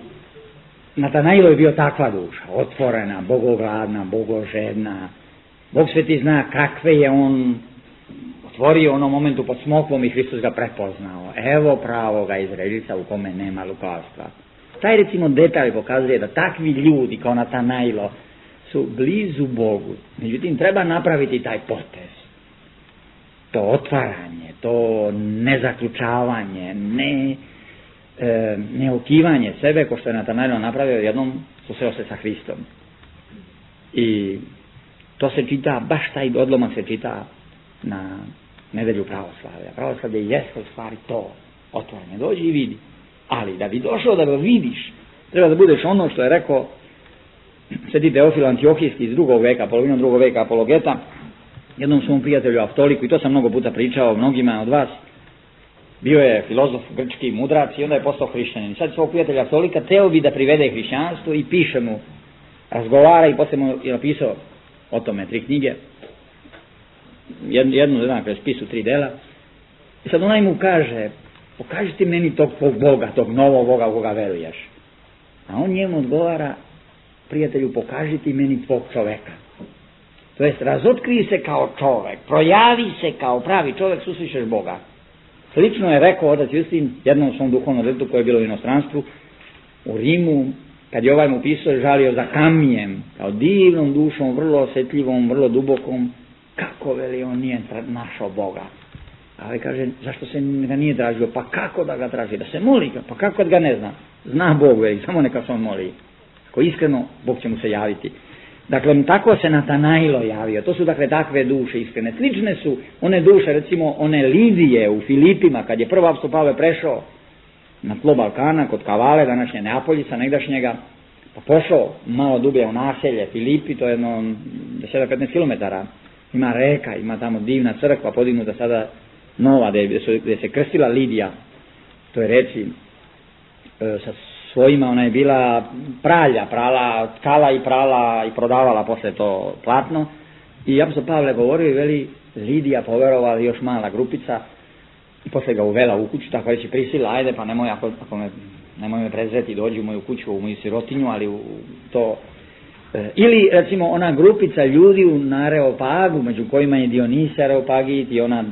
Natanailo je bio takva duša, otvorena, bogogladna, bogožedna. Bog sveti zna kakve je on otvorio u onom momentu pod smokvom i Hristos ga prepoznao. Evo pravoga Izraeljica u kome nema lukavstva. Taj recimo detalj pokazuje da takvi ljudi kao Natanailo su blizu Bogu. Međutim, treba napraviti taj potez. To otvaranje, to nezaključavanje, ne, e, neokivanje sebe, ko što je Natanailo napravio, jednom susreo se sa Hristom. I to se čita, baš taj odlomak se čita na nedelju pravoslavlja. Pravoslavlje jeste u stvari to, otvaranje, dođi i vidi. Ali da bi došao da ga vidiš, treba da budeš ono što je rekao Sveti Teofil Antiohijski iz drugog veka, polovinom drugog veka apologeta, jednom svom prijatelju Aftoliku, i to sam mnogo puta pričao mnogima od vas, bio je filozof grčki, mudrac i onda je postao hrišćanin. Sad svog prijatelja Aftolika teo bi da privede hrišćanstvo i piše mu, razgovara i poslije mu je napisao o tome tri knjige, jednu, jednu jedan spisu tri dela. I sad onaj mu kaže, pokaži ti meni tog Boga, tog novog Boga u koga veruješ. A on njemu odgovara, prijatelju, pokaži ti meni tvog čoveka. To jest, razotkriji se kao čovek, projavi se kao pravi čovek, susrećeš Boga. Slično je rekao otac Justin jednom svom duhovnom detetu koje je bilo u inostranstvu, u Rimu, kad je ovaj mu pisao, žalio za Kamijem, kao divnom dušom, vrlo osjetljivom, vrlo dubokom, kako veli on nije našao Boga. Ali kaže, zašto se ga nije tražio? Pa kako da ga traži? Da se moli ga, pa kako ga ne zna? Zna Bog, veli, samo neka se on moli. Ako iskreno, Bog će mu se javiti. Dakle, tako se Natanailo javio. To su dakle takve duše iskrene. Slične su one duše, recimo one Lidije u Filipima, kad je prvo apostol Pavle prešao na tlo Balkana, kod Kavale, današnje Neapoljica, negdašnjega, pa pošao malo dublje u naselje Filipi, to je jedno deset do petnaest kilometara. Ima reka, ima tamo divna crkva, podignuta sada nova, gdje, gdje se krstila Lidija, to je reci, e, sa svojima, ona je bila pralja, prala, tkala i prala i prodavala posle to platno. I apostol Pavle govorio i veli, Lidija poverovala, još mala grupica, i posle ga uvela u kuću, tako reći prisila, ajde pa nemoj, ako, ako me, nemoj me prezreti, dođi u moju kuću, u moju sirotinju, ali u to... E, ili recimo ona grupica ljudi u Areopagu, među kojima je Dionisa Areopagit i ona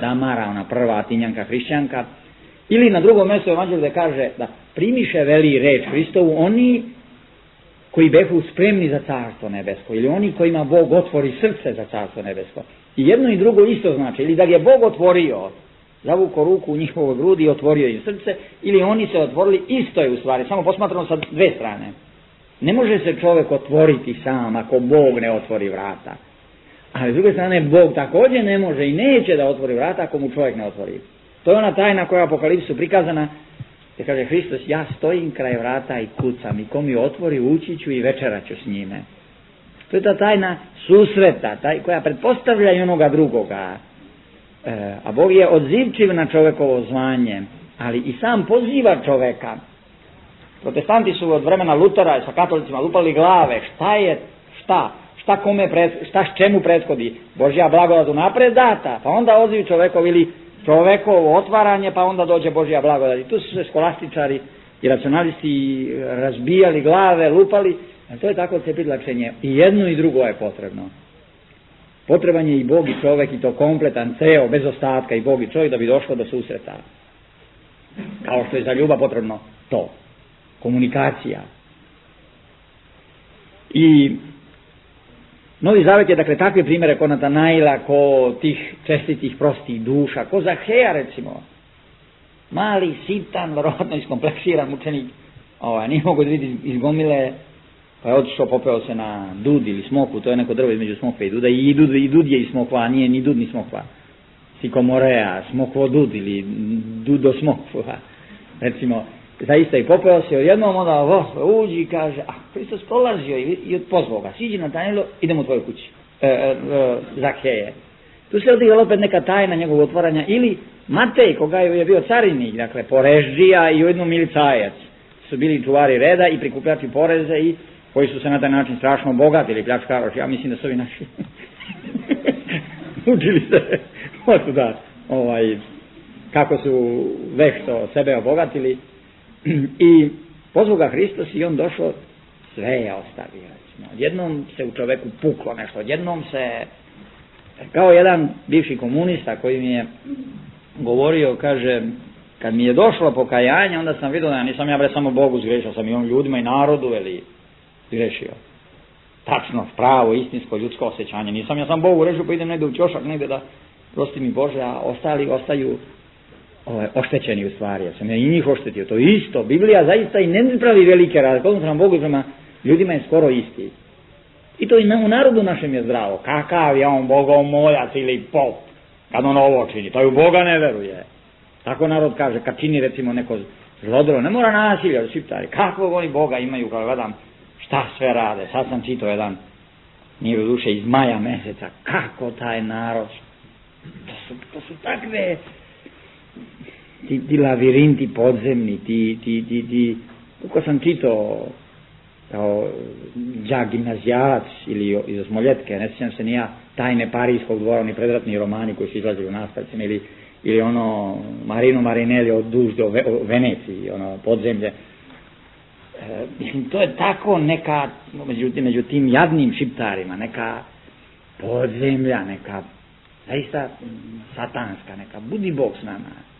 Damara, ona prva Atinjanka hrišćanka, ili na drugom mjestu Evanđelju gdje kaže da primiše veli reč Hristovu oni koji behu spremni za carstvo nebesko, ili oni kojima Bog otvori srce za carstvo nebesko. I jedno i drugo isto znači, ili da je Bog otvorio, zavuko ruku u njihovoj grudi i otvorio im srce, ili oni se otvorili, isto je u stvari, samo posmatrano sa dve strane. Ne može se čovjek otvoriti sam ako Bog ne otvori vrata. Ali s druge strane, Bog također ne može i neće da otvori vrata ako mu čovjek ne otvori. To je ona tajna koja je u Apokalipsu prikazana, gdje kaže Hristos, ja stojim kraj vrata i kucam i ko mi otvori ući ću i večerat ću s njime. To je ta tajna susreta, taj, koja pretpostavlja i onoga drugoga. E, a Bog je odzivčiv na čovjekovo zvanje, ali i sam poziva čovjeka. Protestanti su od vremena Lutera sa katolicima lupali glave, šta je, šta, šta kome, pred, šta s čemu prethodi. Božja blagodat unapred data, pa onda odziv čovjekov ili čovjekovo otvaranje, pa onda dođe Božja blagodat. I tu su se skolastičari i racionalisti razbijali glave, lupali, a to je tako cepidlačenje. I jedno i drugo je potrebno. Potreban je i Bog i čovjek i to kompletan, ceo, bez ostatka i Bog i čovjek da bi došlo do susreta. Kao što je za ljubav potrebno to. Komunikacija. I Novi Zavet je dakle takve primjere ko Natanaila, ko tih čestitih prostih duša, ko Zaheja recimo. Mali, sitan, verovatno iskompleksiran mučenik, ovaj, nije mogo da vidi iz gomile, pa je otišao, popeo se na dud ili smokvu, to je neko drvo između smokve i duda, i dud, i dud je i smokva, a nije ni dud ni smokva. Sikomorea, smokvo dud ili dudo smokva, recimo. Zaista i popeo se odjednom, onda oh, uđi i kaže, a Hristos prolazio i, i pozvao ga, siđi na Natanailu, idemo u tvoju kući, e, e, e, Zaheje. Tu se odigrala opet neka tajna njegovog otvaranja, ili Matej, koga je bio carinik, dakle, porežđija i ujedno milicajac, su bili čuvari reda i prikupljači poreze i koji su se na taj način strašno bogatili, pljačkaroši, ja mislim da su ovi naši učili se otuda, ovaj, kako su vešto sebe obogatili. I pozvao ga Hristos i on došao, sve je ostavio. Recimo. Odjednom se u čoveku puklo nešto, odjednom se, kao jedan bivši komunista koji mi je govorio, kaže, kad mi je došlo pokajanje, onda sam vidio da nisam ja bre samo Bogu zgrešio, sam i on ljudima i narodu, veli, zgrešio. Tačno, pravo, istinsko, ljudsko osjećanje. Nisam ja sam Bogu rešio, pa idem negdje u ćošak, negdje da, prosti mi Bože, a ostali ostaju Ovaj, oštećeni u stvari, ja sam ja i njih oštetio, to je isto, Biblija zaista i ne pravi velike razlike, odnosno prema Bogu i prema ljudima je skoro isti. I to i na, u narodu našem je zdravo, kakav je on bogomojac ili pop, kad on ovo čini, to u Boga ne veruje. Tako narod kaže, kad čini recimo neko zlodelo, ne mora nasilja od Šiptari, kakvog oni Boga imaju, kada gledam šta sve rade, sad sam čitao jedan, nije u duše iz maja meseca, kako taj narod, to su, to su takve, Ti, ti lavirinti podzemni, ti, ti, ti, ti, kako sam čitao kao đak gimnazijalac ili iz Osmoljetke, ne sjećam se ni ja, Tajne Parijskog dvora, oni predratni romani koji su izlazili u nastavcima, ili, ili ono Marino Marinelli od duž do Ve, Veneciji, ono podzemlje. E, mislim, to je tako neka, među, među tim jadnim Šiptarima, neka podzemlja, neka zaista satanska, neka budi Bog s nama.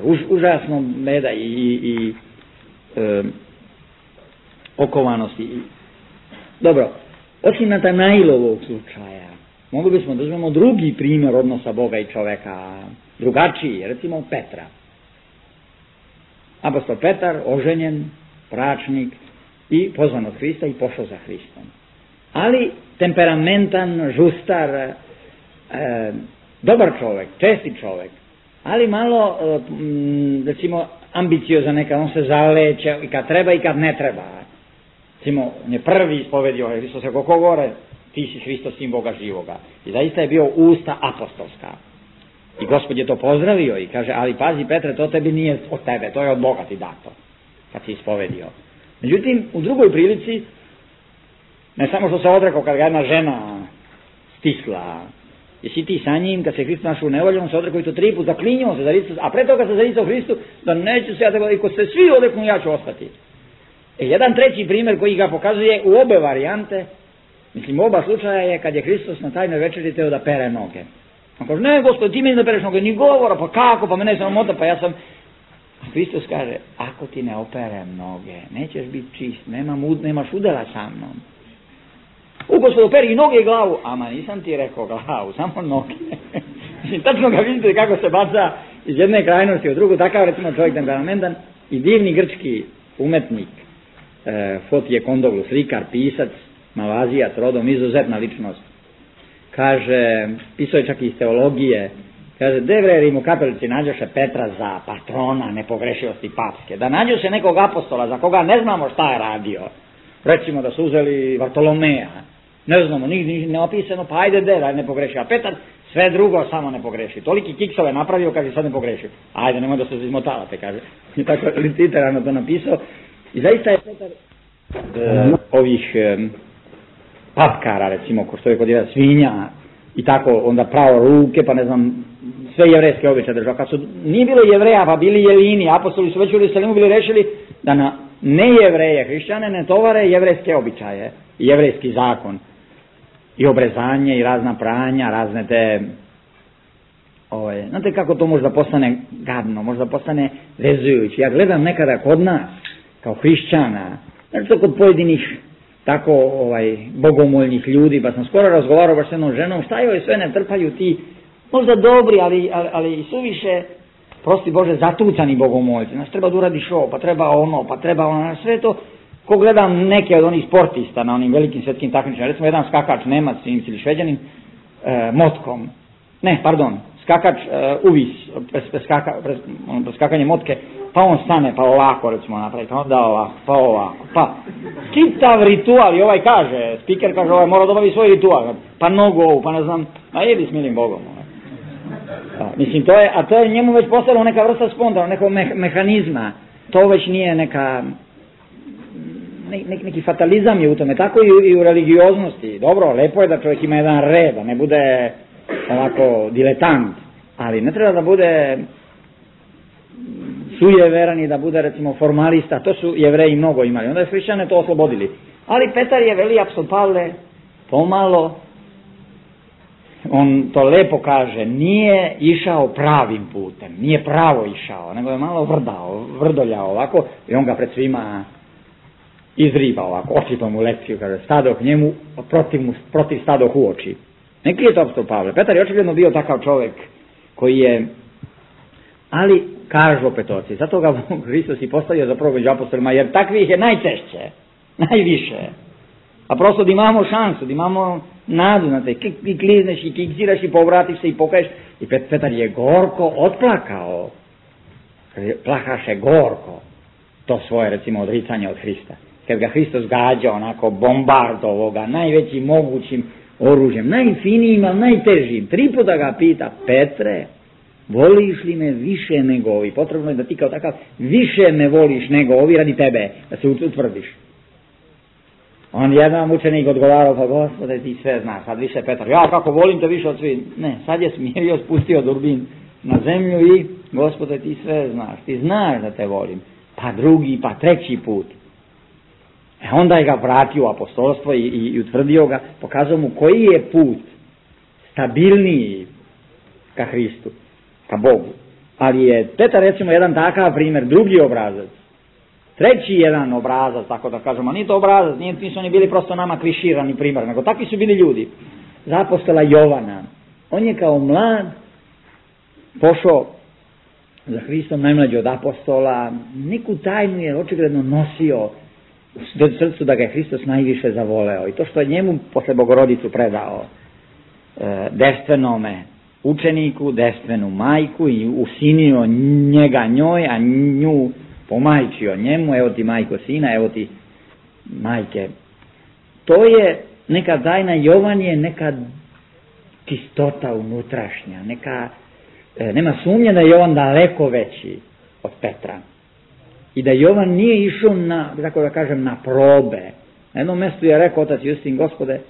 Už, užasno meda i, i, i e, okovanosti. Dobro, osim Natanailovog slučaja, mogli bismo da uzmemo drugi primjer odnosa Boga i čoveka, drugačiji, recimo Petra. Apostol Petar, oženjen, bračnik i pozvan od Hrista i pošao za Hristom. Ali temperamentan, žustar, e, dobar čovjek, čestit čovjek, ali malo, recimo, ambiciozan neka, on se zaleće i kad treba i kad ne treba. Recimo, on je prvi ispovedio Hristos, ako ko gore, ti si Hristos, sin Boga živoga. I zaista je bio usta apostolska. I Gospod je to pozdravio i kaže, ali pazi Petre, to tebi nije od tebe, to je od Boga ti dato, kad si ispovedio. Međutim, u drugoj prilici, ne samo što se odrekao kad ga jedna žena stisla, jesi ti sa njim, kad se Hristos našao u nevolju, on se odrekao i to tri put, zaklinjao se za Hristos, a pre toga se zaricao Hristu, da neću se ja tako, i ko se svi odreknu, ja ću ostati. E, jedan treći primjer koji ga pokazuje u obe varijante, mislim, u oba slučaja je kad je Hristos na tajnoj večeri teo da pere noge. On kaže, ne, Gospod, ti meni da pereš noge, ni govora, pa kako, pa mene je sramota, pa ja sam... A Hristos kaže, ako ti ne operem noge, nećeš biti čist, nema mud, nemaš udela sa mnom. U Gospod, operi i noge i glavu, ama nisam ti rekao glavu, samo noge. Mislim, tačno ga vidite kako se baca iz jedne krajnosti u drugu, takav recimo čovjek temperamentan i divni grčki umetnik, e, Fotije Kondoglu, slikar, pisac, Malazijac, rodom, izuzetna ličnost. Kaže, pisao je čak i iz teologije, kaže, Devrerim u kapelici nađoše Petra za patrona nepogrešivosti papske, da nađu se nekog apostola za koga ne znamo šta je radio, recimo da su uzeli Vartolomeja, ne znamo, nigdje ne opisano, pa ajde Devra ne pogreši, a Petar sve drugo samo ne pogreši, toliki kiksove napravio, kaže, sad ne pogreši, ajde, nemoj da se izmotavate, kaže, i tako literarno to napisao, i zaista je Petar e, ovih e, papkara, recimo, ko što je kod jedan svinja, i tako onda pravo ruke, pa ne znam, sve jevrejske običaje držao. Kad su, nije bilo jevreja, pa bili jelini, apostoli su već u Jerusalimu bili rešili da na nejevreje, hrišćane, ne tovare jevrejske običaje, jevrejski zakon, i obrezanje, i razna pranja, razne te, ovaj, znate kako to možda postane gadno, možda postane vezujući. Ja gledam nekada kod nas, kao hrišćana, znači to kod pojedinih tako ovaj, bogomoljnih ljudi, pa sam skoro razgovarao baš s jednom ženom, šta joj sve ne trpaju ti, možda dobri, ali, ali, ali i suviše, prosti Bože, zatucani bogomoljci, znaš, treba da uradiš ovo, pa treba ono, pa treba ono, sve to, ko gledam neke od onih sportista na onim velikim svjetskim takmičenjima, recimo jedan skakač Nemac ili Šveđanin, e, motkom, ne, pardon, skakač e, uvis, pres, preskaka, pres, ono, preskakanje motke, pa on stane, pa ovako, recimo, napravi, pa onda ovako, pa ovako, pa čitav ritual, i ovaj kaže, spiker kaže, ovaj mora da obavi svoj ritual, pa nogu ovu, pa ne znam, a jedi s milim Bogom. A, mislim, to je, a to je njemu već postalo neka vrsta spontana, nekog me, mehanizma, to već nije neka, ne, ne, neki fatalizam je u tome, tako i u, i u religioznosti, dobro, lepo je da čovjek ima jedan red, da ne bude ovako diletant, ali ne treba da bude sujeveran i da bude recimo formalista, to su Jevreji mnogo imali, onda je hrišćane to oslobodili. Ali Petar je, veli apostol Pavle, pomalo, on to lepo kaže, nije išao pravim putem, nije pravo išao, nego je malo vrdao, vrdoljao ovako, i on ga pred svima izriba ovako, očito mu lekciju, kaže, stadoh njemu, protiv, mu, protiv stadoh u oči. Neki je to apostol Pavle. Petar je očigledno bio takav čovjek koji je, ali kažu opet oci, zato ga Hristos i postavio zapravo među apostolima, jer takvih je najčešće, najviše. A prosto da imamo šansu, da imamo nadu na te, i klizneš i kiksiraš i povratiš se i pokaješ. I Petar je gorko otplakao, plakaše gorko to svoje recimo odricanje od Hrista. Kad ga Hristos gađa onako bombardovao ga najvećim mogućim oružjem, najfinijim, ali najtežim. Tri puta ga pita, Petre, voliš li me više nego ovi? Potrebno je da ti kao takav više me voliš nego ovi radi tebe, da se utvrdiš. On jedan učenik odgovarao, pa Gospode ti sve znaš, sad više Petar, ja kako volim te više od svih. Ne, sad je smirio, spustio durbin na zemlju i Gospode ti sve znaš, ti znaš da te volim. Pa drugi, pa treći put. E onda je ga vratio u apostolstvo i, i, i utvrdio ga, pokazao mu koji je put stabilniji ka Hristu, ka Bogu. Ali je Petar recimo jedan takav primjer, drugi obrazac, treći jedan obrazac, tako da kažemo, nije to obrazac, nije, nisu oni bili prosto nama kliširani primjer, nego takvi su bili ljudi. Za apostola Jovana, on je kao mlad pošao za Hristom, najmlađi od apostola, neku tajnu je očigledno nosio u srcu da ga je Hristos najviše zavoleo. I to što je njemu posle Bogorodicu predao e, devstvenome učeniku, devstvenu majku i usinio njega njoj, a nju pomajčio njemu, evo ti majko sina, evo ti majke. To je neka tajna, Jovan je neka čistota unutrašnja, neka, e, nema sumnje da je Jovan daleko veći od Petra. I da Jovan nije išao na, tako da kažem, na probe. Na jednom mjestu je rekao otac Justin, Gospode,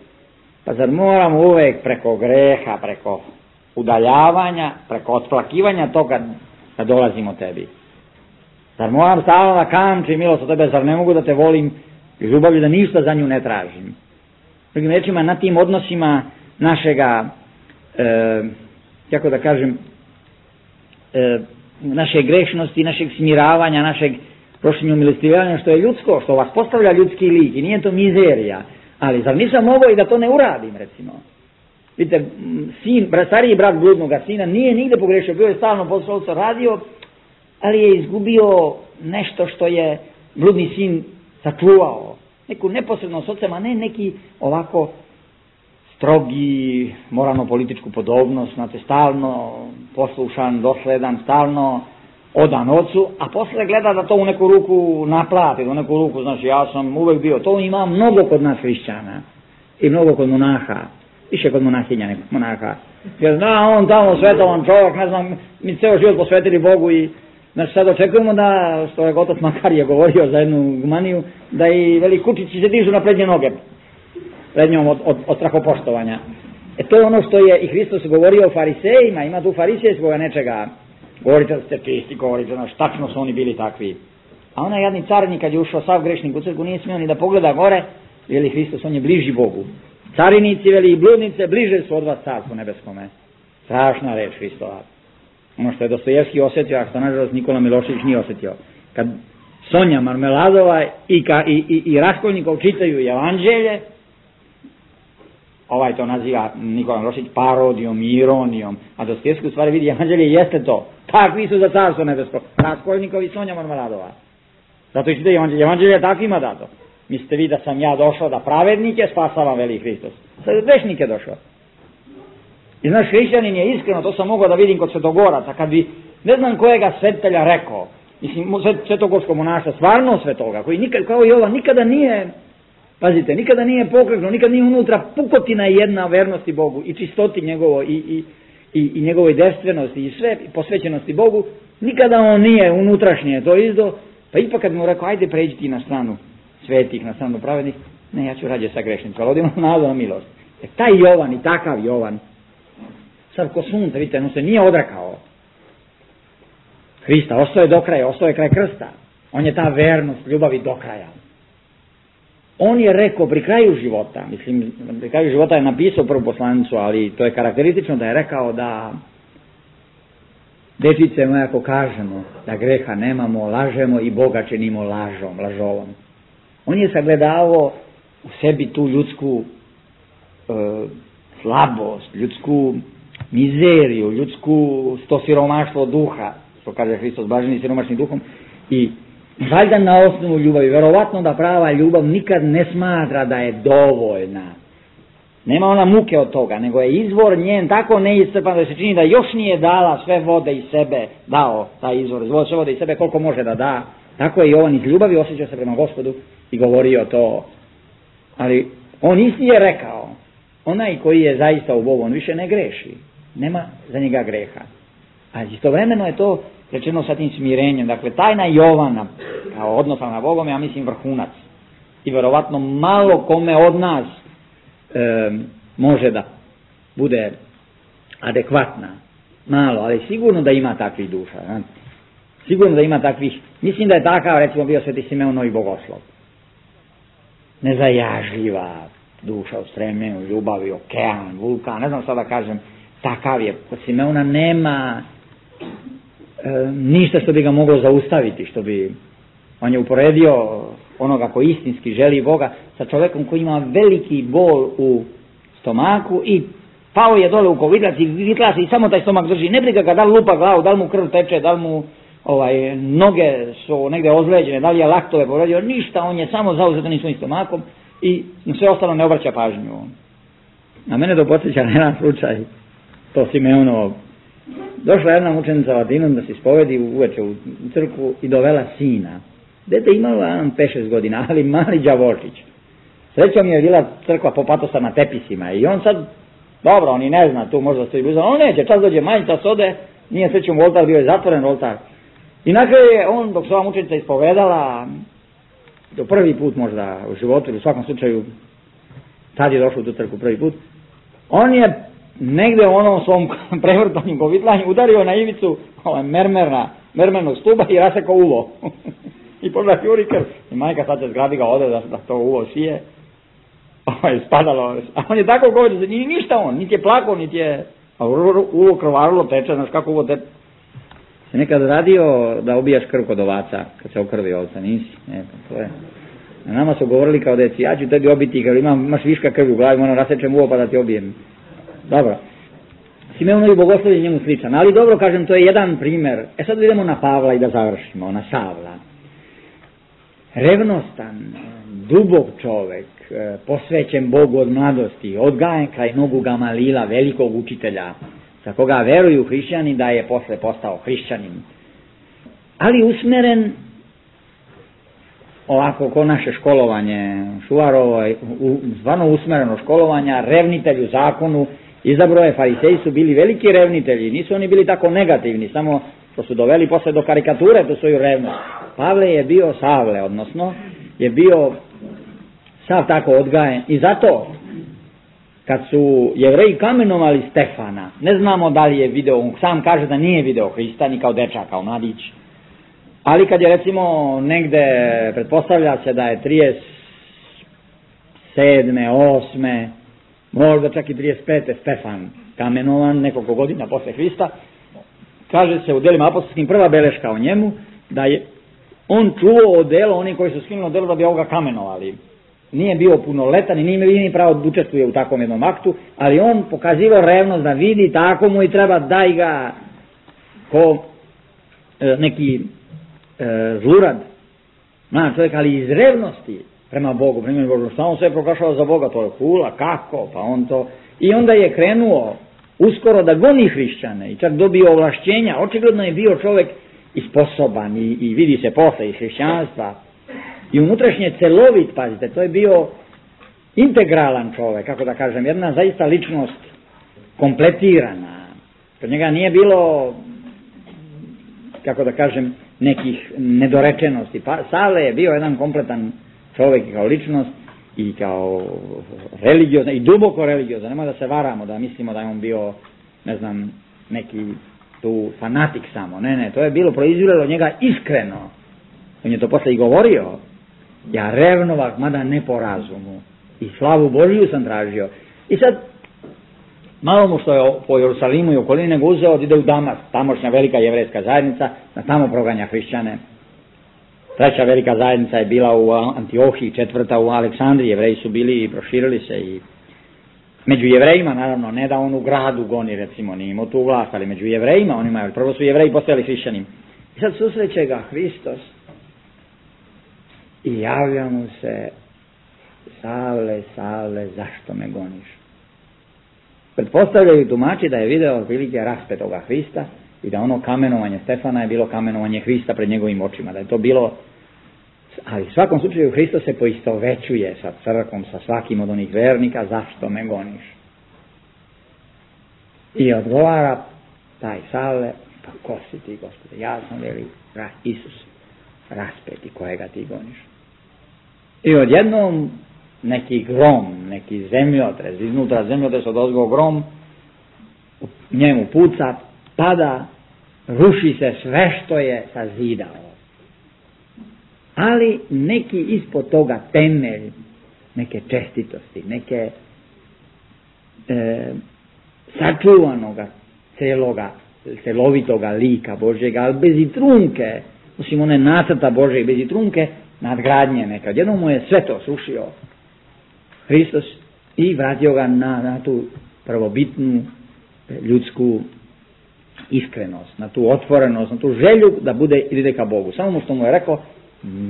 pa zar moramo uvek preko greha, preko udaljavanja, preko otplakivanja toga da dolazimo tebi? Zar moram stalno da kamčim milost od tebe, zar ne mogu da te volim i ljubavlju, da ništa za nju ne tražim? Drugim rečima, na tim odnosima našega, e, kako da kažem, e, naše grešnosti, našeg smiravanja, našeg prošljenja milostivanja, što je ljudsko, što vas postavlja ljudski lik i nije to mizerija, ali zar nisam mogao i da to ne uradim, recimo? Vidite, sin, stariji brat bludnoga sina nije nigde pogrešio, bio je stalno posao radio, ali je izgubio nešto što je bludni sin sačuvao neku neposrednost ocem, a ne neki ovako strogi, moralno-političku podobnost, znate, stalno poslušan, dosledan, stalno odan ocu, a posle gleda da to u neku ruku naplati, u neku ruku, znači ja sam uvek bio, to ima mnogo kod nas hrišćana i mnogo kod monaha, više kod monahinja nego monaha, jer da, on tamo svetovan čovjek, ne znam, mi ceo život posvetili Bogu i znači sad očekujemo da, što je otac Makar je govorio za jednu gumaniju, da i veli kučići se dižu na prednje noge, pred njom od, od, od strahopoštovanja. E to je ono što je i Hristos govorio o farisejima, ima tu farisejskoga nečega, govorite da ste čisti, govorite, znaš, tačno su oni bili takvi. A onaj jadni carinik kad je ušao sav grešnik u crkvu, nije smio ni da pogleda gore, veli Hristos, on je bliži Bogu. Carinici, veli i bludnice, bliže su od vas carstvu nebeskome. Strašna reč Hristova. Ono što je Dostojevski osjetio, a što nažalost Nikola Milošević nije osjetio. Kad Sonja Marmeladova i, ka, i, i, i Raskolnikov čitaju evanđelje, ovaj to naziva Nikola Milošević parodijom, ironijom, a Dostojevski u stvari vidi evanđelje jeste to. Takvi su za carstvo nebesko. Raskolnikov i Sonja Marmeladova. Zato i čitaju evanđelje. Evanđelje je takvima dato. Mislite vi da sam ja došao da pravednike spasavam, veli Hristos. Sad je grešnike došao. I znaš, hrišćanin je iskreno, to sam mogao da vidim kod svetogoraca, kad bi, ne znam kojega svetitelja rekao, mislim, svetogorskog monaša, stvarno svetoga, koji nikad, kao i ova, nikada nije, pazite, nikada nije pokreknuo, nikada nije unutra pukotina jedna vernosti Bogu i čistoti njegovo i, i, i, i njegovoj devstvenosti i sve posvećenosti Bogu, nikada on nije unutrašnje to izdo, pa ipak kad mu rekao, ajde pređi ti na stranu svetih, na stranu pravednih, ne, ja ću rađe sa grešnicom, ali ovdje imam nadu na milost. E, taj Jovan i takav Jovan, sad ko sunce, vidite, on se nije odrekao Hrista, ostao je do kraja, ostao je kraj krsta. On je ta vernost, ljubavi do kraja. On je rekao pri kraju života, mislim, pri kraju života je napisao prvu poslanicu, ali to je karakteristično da je rekao da dečice moje, ako kažemo da greha nemamo, lažemo i Boga činimo lažom, lažovom. On je sagledavao u sebi tu ljudsku e, slabost, ljudsku mizeriju, ljudsku to siromaštvo duha, što kaže Hristos, blaženi siromašni duhom, i valjda na osnovu ljubavi, verovatno da prava ljubav nikad ne smatra da je dovoljna. Nema ona muke od toga, nego je izvor njen tako neiscrpan da se čini da još nije dala sve vode iz sebe, dao taj izvor, sve vode iz sebe koliko može da da. Tako je i on iz ljubavi osjećao se prema Gospodu i govorio to. Ali on isti je rekao, onaj koji je zaista u Bogu, on više ne greši. Nema za njega greha. A istovremeno je to rečeno sa tim smirenjem. Dakle, tajna Jovana, kao odnosa na Bogom, ja mislim vrhunac. I verovatno malo kome od nas e, može da bude adekvatna. Malo, ali sigurno da ima takvih duša. Ne? Sigurno da ima takvih. Mislim da je takav, recimo, bio Sveti Simeon Novi Bogoslov. Nezajažljiva duša u stremljenju, ljubavi, okean, vulkan, ne znam šta da kažem. Takav je, kod Simeona nema e, ništa što bi ga moglo zaustaviti, što bi, on je uporedio onoga ko istinski želi Boga sa čovjekom koji ima veliki bol u stomaku i pao je dole u kovitlac i vitlac i samo taj stomak drži, ne briga ga da li lupa glavu, da li mu krv teče, da li mu ovaj, noge su negdje ozleđene, da li je laktove povredio, ništa, on je samo zauzetan svojim stomakom i sve ostalo ne obraća pažnju. A mene to podsjeća na jedan slučaj, to Simeonovo. Došla jedna mučenica Latinom da se ispovedi uveče u crkvu i dovela sina. Dete imalo jedan pet šest godina, ali mali đavolčić. Srećom je bila crkva popatosa na tepisima i on sad, dobro, on i ne zna, tu možda stoji blizu, on neće, čas dođe manjica sode, nije srećom u oltar, bio je zatvoren oltar. I na kraju je on, dok se ova mučenica ispovedala, do prvi put možda u životu, ili u svakom slučaju, tad je došao u tu crkvu prvi put, on je negde u onom svom prevrtanju kovitlanju udario na ivicu ovaj, mermerna, mermernog stuba i rasekao uvo. I pogleda juri krv. I majka sad se zgrabi ga ode da, da to uvo sije. Ovo je spadalo. A on je tako govorio, da nije ništa on, niti je plakao, niti je... A uvo krvarilo teče, znaš kako uvo teče. Si nekad radio da obijaš krv kod ovaca, kad se okrvi ovca, nisi? Ne, to je... A nama su govorili kao deci, ja ću tebi obiti, kad imam, imaš viška krvi u glavi, moram rasečem uvo pa da ti obijem. Dobro. Simeonovi Bogoslov je njemu sličan, ali dobro kažem, to je jedan primjer. E sad idemo na Pavla i da završimo, na Savla. revnostan, dubok čovek, posvećen Bogu od mladosti, odgajan kraj nogu Gamalila, velikog učitelja, za koga veruju hrišćani da je posle postao hrišćanin. Ali usmeren, ovako ko naše školovanje Šuvarovo, stvarno usmereno školovanja, revnitelju zakonu, izabro je, fariseji su bili veliki revnitelji, nisu oni bili tako negativni, samo što su doveli posle do karikature tu svoju revnost. Pavle je bio Savle, odnosno je bio sav tako odgajen i zato kad su Jevreji kamenovali Stefana, ne znamo da li je video, on sam kaže da nije video Hrista ni kao dečak, kao mladić, ali kad je recimo negde, pretpostavlja se da je trideset sedme, osme, možda čak i trideset pete Stefan kamenovan nekoliko godina posle Hrista, kaže se u delima apostolskim prva beleška o njemu, da je on čuo odelo, oni koji su skinuli odelo da bi ovoga kamenovali. Nije bio punoletan i nije imao ni pravo da učestvuje u takvom jednom aktu, ali on pokazivao revnost da vidi, tako mu i treba daj ga ko e, neki e, zlurad, mlad čovjek, ali iz revnosti prema Bogu, prema Bogu, što on sve proglašava za Boga, to je hula, kako, pa on to, i onda je krenuo uskoro da goni hrišćane i čak dobio ovlašćenja, očigledno je bio čovjek i sposoban i, i vidi se posle iz hrišćanstva i unutrašnje celovit, pazite, to je bio integralan čovjek, kako da kažem, jedna zaista ličnost kompletirana, kod njega nije bilo, kako da kažem, nekih nedorečenosti, pa Savle je bio jedan kompletan čovjek kao ličnost i kao religiozan i duboko religiozan, nemoj da se varamo, da mislimo da je on bio, ne znam, neki tu fanatik samo, ne, ne, to je bilo proizviralo od njega iskreno, on je to posle i govorio, ja revnovak, mada ne po razumu, i slavu Božiju sam tražio, i sad, malo mu što je po Jerusalimu i okolini nego uzeo, ide u Damask, tamošnja velika jevrejska zajednica, da tamo proganja hrišćane. Treća velika zajednica je bila u Antiohiji, četvrta u Aleksandriji, Jevreji su bili i proširili se i među Jevrejima, naravno, ne da on u gradu goni, recimo, nije imao tu vlast, ali među Jevrejima, oni imaju, prvo su Jevreji postali hrišćani. I sad susreće ga Hristos i javlja mu se, Savle, Savle, zašto me goniš? Pretpostavljaju tumači da je video otprilike raspetoga Hrista i da ono kamenovanje Stefana je bilo kamenovanje Hrista pred njegovim očima, da je to bilo, ali u svakom slučaju Hristos se poistovećuje sa crkvom, sa svakim od onih vernika, zašto me goniš? I odgovara taj Savle, pa ko si ti, Gospode? Ja sam veli Isus, raspeti kojega ti goniš. I odjednom neki grom, neki zemljotres, iznutra zemljotres odozgo grom, u njemu puca, pada, ruši se sve što je sazidao. Ali neki ispod toga temelj, neke čestitosti, neke e, sačuvanoga celoga, celovitoga lika Božjega, ali bez i trunke, osim one nacrta Božjeg, bez i trunke, nadgradnje neka. Jednom mu je sve to srušio Hristos i vratio ga na, na tu prvobitnu ljudsku iskrenost, na tu otvorenost, na tu želju da bude ide ka Bogu. Samo mu što mu je rekao,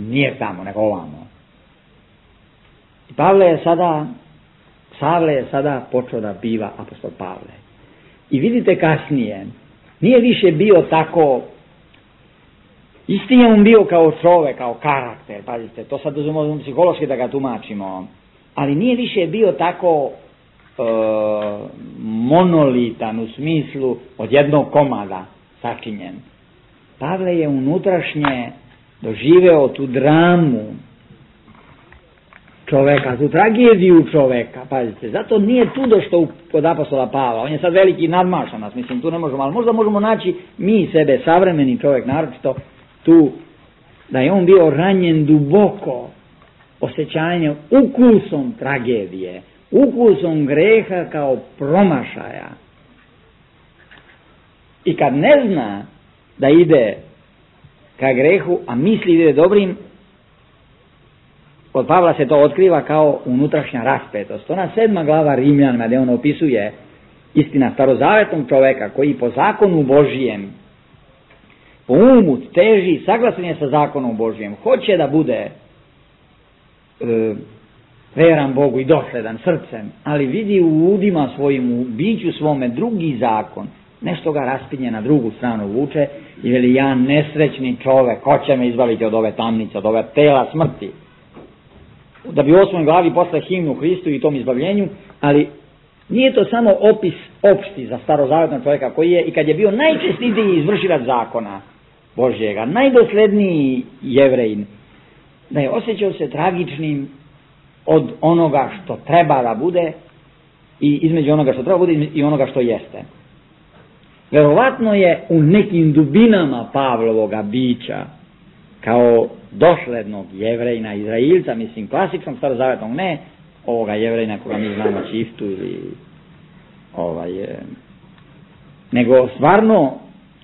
nije tamo, nego ovamo. I Pavle je sada, Savle je sada počeo da biva apostol Pavle. I vidite kasnije, nije više bio tako, isti je on bio kao čovek, kao karakter, pazite, to sad uzmemo psihološki da ga tumačimo, ali nije više bio tako e, monolitan u smislu od jednog komada sačinjen. Pavle je unutrašnje doživeo tu dramu čoveka, tu tragediju čoveka, pazite, zato nije tu došlo kod apostola Pavla, on je sad veliki nadmašan nas, mislim, tu ne možemo, ali možda možemo naći mi sebe, savremeni čovek, naročito tu, da je on bio ranjen duboko osjećanjem, ukusom tragedije, ukusom greha kao promašaja. I kad ne zna da ide ka grehu, a misli da ide dobrim, kod Pavla se to otkriva kao unutrašnja raspetost. Ona sedma glava Rimljanima, gdje on opisuje istina starozavetnog čoveka koji po zakonu Božijem, po umu teži, saglasan je sa zakonom Božijem, hoće da bude e, veran Bogu i dosledan srcem, ali vidi u udima svojim, u biću svome drugi zakon, nešto ga raspinje na drugu stranu vuče i veli, ja nesrećni čovek, ko će me izbaviti od ove tamnice, od ove tela smrti, da bi u osmoj glavi posle himnu Hristu i tom izbavljenju, ali nije to samo opis opšti za starozavetnog čovjeka koji je, i kad je bio najčestitiji izvršilac zakona Božjega, najdosledniji Jevrejin, da je osjećao se tragičnim od onoga što treba da bude i između onoga što treba bude i onoga što jeste. Verovatno je u nekim dubinama Pavlovoga bića, kao doslednog Jevrejina, Izrailca, mislim klasičnog starozavetnog, ne ovoga Jevrejina koga mi znamo čiftu ili ovaj, nego stvarno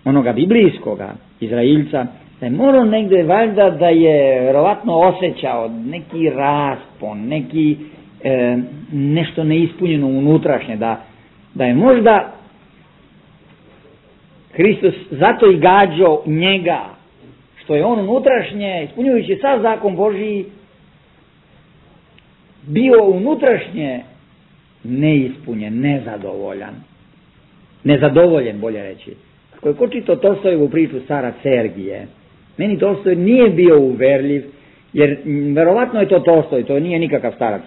onoga biblijskoga Izrailca, da je morao negde valjda da je verovatno osjećao neki raspon, neki e, nešto neispunjeno unutrašnje, da, da je možda Hristos zato i gađao njega, što je on unutrašnje, ispunjujući sav zakon Božiji, bio unutrašnje neispunjen, nezadovoljan. Nezadovoljen, bolje reći. Ako je ko čitao Tolstojevu priču Starac Sergije, meni Tolstoj nije bio uverljiv, jer verovatno je to Tolstoj, to nije nikakav starac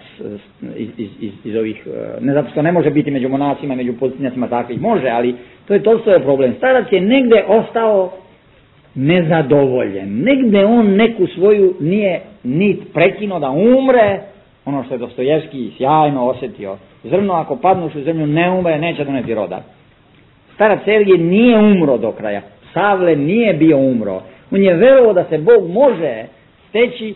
iz, iz, iz, iz ovih, ne zato što ne može biti među monasima, među pozitivnjacima takvih, može, ali to je Tolstojev problem. Starac je negde ostao nezadovoljen, negde on neku svoju nije nit prekinuo da umre, ono što je Dostojevski sjajno osjetio, zrno ako padnuš u zemlju ne umre, neće doneti roda. Starac Sergije nije umro do kraja, Savle nije bio umro, on je verovao da se Bog može steći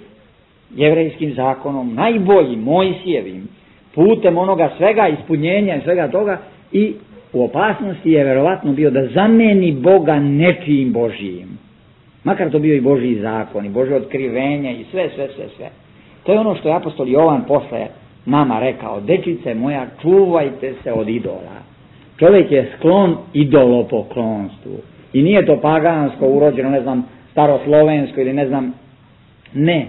jevrejskim zakonom, najboljim, Mojsijevim, putem onoga svega, ispunjenja i svega toga, i u opasnosti je verovatno bio da zameni Boga nečijim Božijim. Makar to bio i Božji zakon, i Božje otkrivenje, i sve, sve, sve, sve. To je ono što je apostol Jovan posle nama rekao, dečice moja, čuvajte se od idola. Čovjek je sklon idolopoklonstvu. I nije to pagansko, urođeno, ne znam, staroslovensko ili ne znam, ne,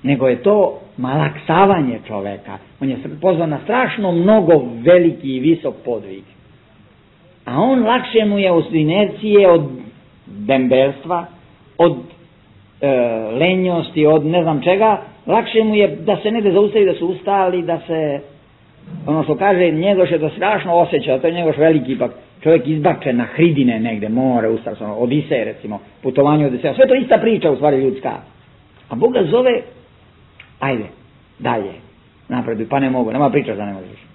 nego je to malaksavanje čoveka. On je pozvan na strašno mnogo veliki i visok podvig. A on lakše mu je od inercije, od dembelstva, od e, lenjosti, od ne znam čega, lakše mu je da se negde zaustavi, da su ustali, da se, ono što kaže, njegoš je to strašno osjeća, to je njegoš veliki, ipak čovjek izbačen na hridine negde, more, ustav, ono, Odisej recimo, putovanje Odiseja, sve to ista priča u stvari ljudska. A Bog ga zove, ajde, dalje, napreduj, pa ne mogu, nema priča da ne možeš.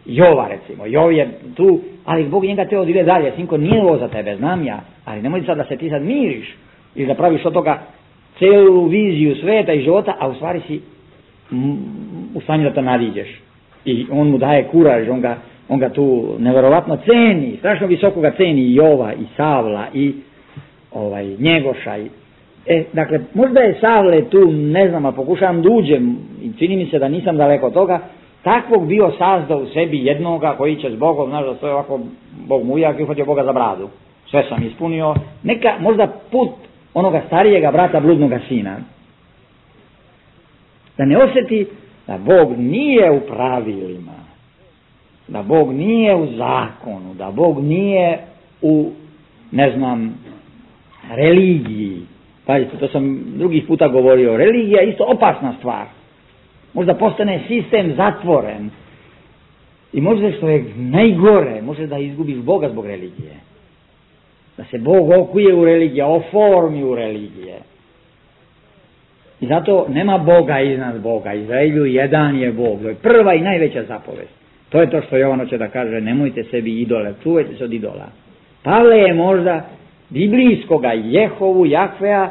Jova recimo, Jov je tu, ali Bog njega teo da ide dalje, sinko, nije ovo za tebe, znam ja, ali nemoj sad da se ti sad miriš ili da praviš od toga celu viziju sveta i života, a u stvari si u stanju da to nadiđeš. I on mu daje kuraž, on ga, on ga tu neverovatno ceni, strašno visoko ga ceni i Jova, i Savla, i ovaj, Njegoša. I, e, dakle, možda je Savle tu, ne znam, a pokušavam da uđem, i čini mi se da nisam daleko od toga, takvog bio sazdao u sebi jednoga koji će s Bogom, znaš da stoje ovako, Bog mu ujak i uhvatio Boga za bradu. Sve sam ispunio. Neka, možda put onoga starijega brata bludnoga sina. Da ne osjeti da Bog nije u pravilima, da Bog nije u zakonu, da Bog nije u, ne znam, religiji. Pazite, to sam drugih puta govorio, religija je isto opasna stvar. Možda postane sistem zatvoren i možda što je najgore, može da izgubiš Boga zbog religije. Da se Bog okuje u religije, oformi u religije. I zato nema Boga iznad Boga. Izraelju jedan je Bog. To je prva i najveća zapovest. To je to što Jovan hoće da kaže, nemojte sebi idole, čuvajte se od idola. Pavle je možda biblijskoga Jehovu, Jahvea,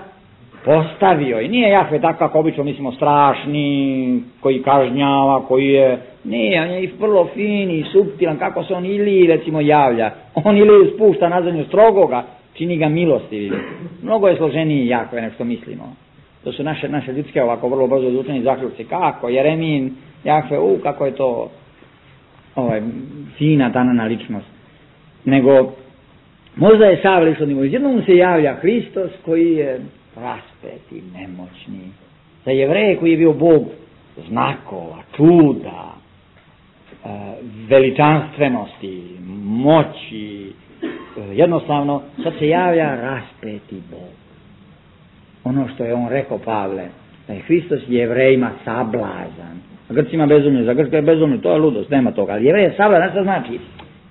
postavio. I nije Jahve tako kako obično mislimo strašni, koji kažnjava, koji je, nije, on je i vrlo fin i suptilan, kako se on ili recimo javlja. On ili spušta na zemlju strogoga, čini ga milostivim. Mnogo je složeniji Jahve nego što mislimo. To su naše, naše ljudske ovako vrlo brzo odlučeni zaključci. Kako? Jeremin, Jahve, u, kako je to ovaj, fina tanana ličnost. Nego, možda je Savle išlo nivo. Jednom se javlja Hristos koji je raspet i nemoćni. Za Jevreje koji je bio Bog znakova, čuda, veličanstvenosti, moći, jednostavno sad se javlja raspeti Bog. Ono što je on rekao, Pavle, da je Hristos Jevrejima sablazan, a Grcima bezumlje, za Grčka je bezumlje, to je ludost, nema toga, ali Jevrej je sablazan, što znači?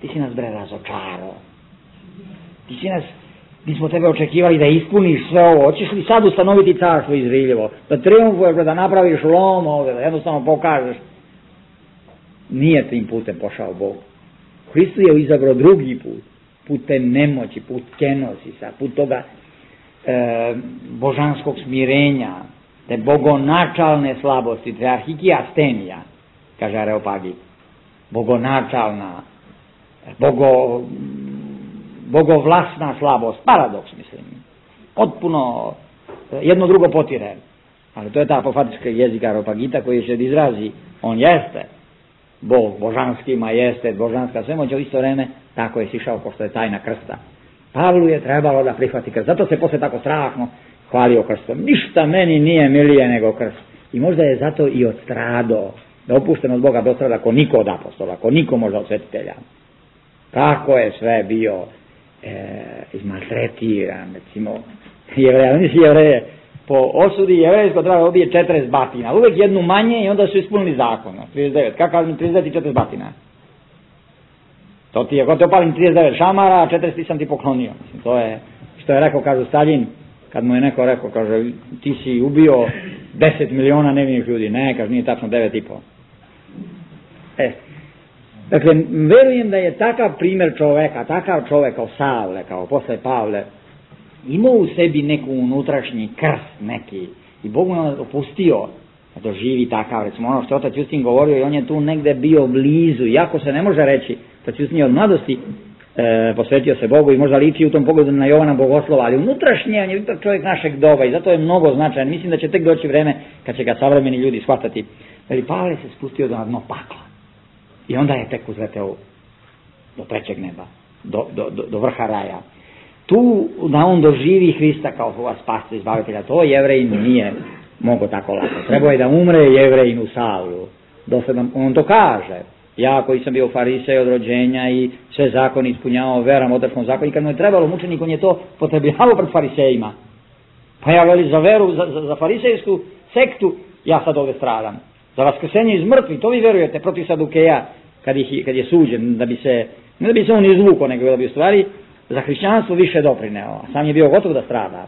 Ti si nas bre razočarao, ti si nas, mi smo tebe očekivali da ispuniš sve ovo, hoćeš li sad ustanoviti carstvo Izraeljevo, da triumfuješ, da napraviš lom ovdje, da jednostavno pokažeš. Nije tim putem pošao Bog. Hristos je izabrao drugi put, put te nemoći, put kenosisa, put toga e, božanskog smirenja, te bogonačalne slabosti, tearhikija stenija, kaže Areopagit, bogonačalna, bogo, bogovlasna slabost, paradoks mislim, potpuno jedno drugo potire, ali to je ta apofatička jezika Areopagita koji se izrazi, on jeste Bog, božanski majestet, božanska svemoć, u isto vreme tako je sišao pošto je tajna krsta. Pavlu je trebalo da prihvati krst, zato se posle tako strahno hvalio krstom. Ništa meni nije milije nego krst. I možda je zato i odstrado, da opušten od Boga dostrada ko niko od apostola, ko niko možda od svetitelja. Tako je sve bio e, izmaltretiran, recimo, Jevreja, nisi Jevreje, po osudi jevrejsko treba da obije četrdeset batina, uvek jednu manje i onda su ispunili zakon, trideset devet, kakav mi trideset devet i četrdeset batina? To ti je, ako te opalim trideset devet šamara, a četrdeset sam ti poklonio. Mislim, to je, što je rekao, kažu Staljin, kad mu je neko rekao, kaže, ti si ubio deset miliona nevinih ljudi, ne, kaže, nije tačno devet i po. E, dakle, verujem da je takav primjer čoveka, takav čovek kao Savle, kao posle Pavle, imao u sebi neku unutrašnji krst neki i Bog mu je opustio da doživi takav, recimo ono što je otac Justin govorio i on je tu negde bio blizu, iako se ne može reći, otac Justin je od mladosti e, posvetio se Bogu i možda liči u tom pogledu na Jovana Bogoslova, ali unutrašnje on je ipak čovjek našeg doba i zato je mnogo značajan, mislim da će tek doći vreme kad će ga savremeni ljudi shvatati, ali Pavle se spustio do dno pakla i onda je tek uzleteo do trećeg neba, do, do, do, do vrha raja. Tu da on doživi Hrista kao svoga spasca izbavitelja, to Jevrejin nije mogo tako lako. Trebao je da umre Jevrejin u Savlu. Dosledno, on to kaže. Ja koji sam bio farisej od rođenja i sve zakone ispunjavao veram otačkom zakonu, i kad mu je trebalo mučenik, on je to potrebljavao pred farisejima. Pa ja veli za veru, za, za, za farisejsku sektu, ja sad ovdje stradam. Za vaskrsenje iz mrtvih, to vi verujete protiv Sadukeja, kad, ih, kad je suđen, da bi se, ne da bi se on izvukao, nego da bi u stvari za hrišćanstvo više doprineo, a sam je bio gotov da strada.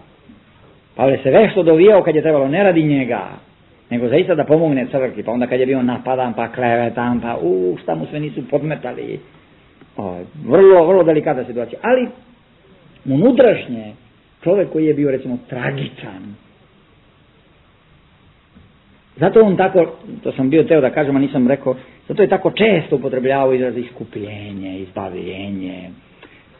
Pavle se vešto dovijao kad je trebalo, ne radi njega, nego zaista da pomogne crkvi, pa onda kad je bio napadan, pa klevetan, pa u, šta mu sve nisu podmetali. O, vrlo, vrlo delikatna situacija. Ali, unutrašnje, čovjek koji je bio, recimo, tragičan. Zato on tako, to sam bio teo da kažem, a nisam rekao, zato je tako često upotrebljavao izraz iskupljenje, izbavljenje,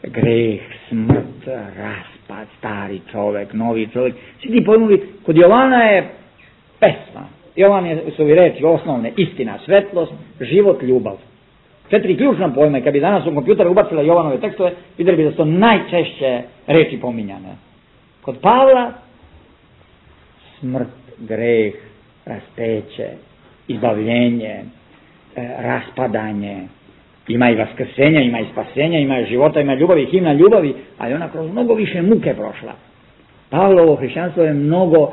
greh, smrt, raspad, stari čovjek, novi čovjek. Svi ti pojmovi, kod Jovana je pesma. Jovan je, su ovi reči osnovne, istina, svetlost, život, ljubav. Četiri ključna pojma, i kad bi danas u kompjuter ubacila Jovanove tekstove, vidjeli bi da su to najčešće reči pominjane. Kod Pavla, smrt, greh, raspeće, izbavljenje, e, raspadanje, ima i vaskrsenja, ima i spasenja, ima i života, ima i ljubavi, himna ljubavi, ali ona kroz mnogo više muke prošla. Pavlovo hrišćanstvo je mnogo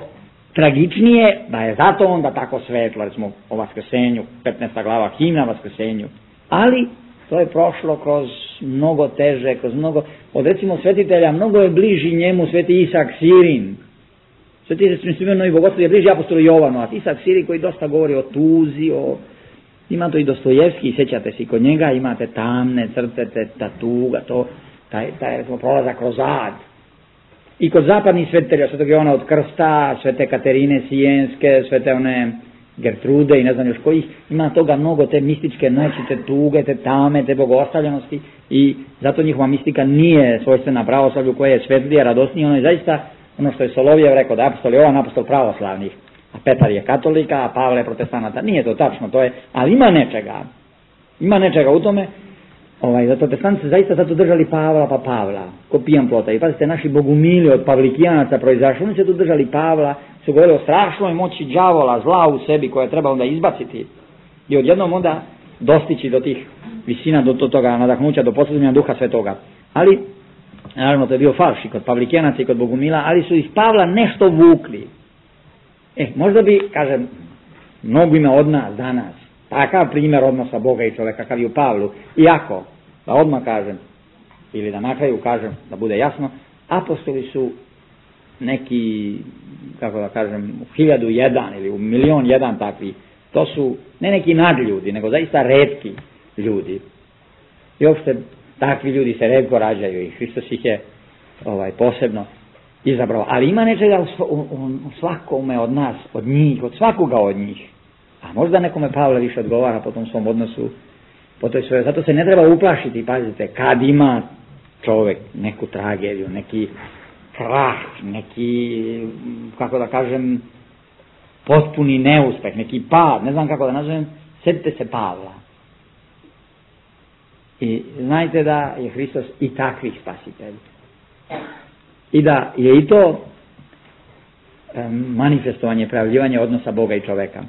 tragičnije, da je zato onda tako svetlo, recimo o vaskrsenju, petnaesta glava, himna vaskrsenju, ali to je prošlo kroz mnogo teže, kroz mnogo, od recimo svetitelja, mnogo je bliži njemu sveti Isak Sirin. Sveti Isak Sirin i Bogoslovi je bliži apostolu Jovanu, a Isak Sirin koji dosta govori o tuzi, o... Ima to i Dostojevski, sjećate se, kod njega imate tamne crte, ta tuga, to, taj, taj recimo, prolazak kroz ad. I kod zapadnih svetitelja, svetog Jovana od Krsta, svete Katerine Sijenske, svete one Gertrude i ne znam još kojih, ima toga mnogo, te mističke noći, te tuge, te tame, te bogostavljenosti, i zato njihova mistika nije svojstvena pravoslavlju koje je svetlije, radosnije, ono je zaista ono što je Solovjev rekao, da je apostol Jovan apostol pravoslavnih, a Petar je katolika, a Pavle je protestanata. Nije to tačno, to je, ali ima nečega, ima nečega u tome. Ovaj, zato protestanti se zaista zato držali Pavla pa Pavla, ko pijan plota. I pazite, naši bogumili od pavlikijanaca proizašli, oni se tu držali Pavla, su govorili o strašnoj moći đavola, zla u sebi koje treba onda izbaciti i odjednom onda dostići do tih visina, do, do toga nadahnuća, do posljednja duha svetoga. Ali, naravno, to je bio falš i kod Pavlikenaca i kod Bogumila, ali su iz Pavla nešto vukli. E, možda bi, kažem, mnogima od nas danas, takav primjer odnosa Boga i čoveka kakav je u Pavlu, iako, da odmah kažem, ili da na kraju kažem, da bude jasno, apostoli su neki, kako da kažem, u hiljadu jedan ili u milion jedan takvi. To su ne neki nadljudi, nego zaista retki ljudi. I uopšte takvi ljudi se retko rađaju i Hristos ih je ovaj, posebno izabrao. Ali ima nečega u, u, u svakome od nas, od njih, od svakoga od njih. A možda nekome Pavle više odgovara po tom svom odnosu, po toj svojoj. Zato se ne treba uplašiti, pazite, kad ima čovjek neku tragediju, neki krah, neki, kako da kažem, potpuni neuspeh, neki pad, ne znam kako da nazovem, sjetite se Pavla. I znajte da je Hristos i takvih spasitelj. I da je i to manifestovanje, prejavljivanje odnosa Boga i čoveka.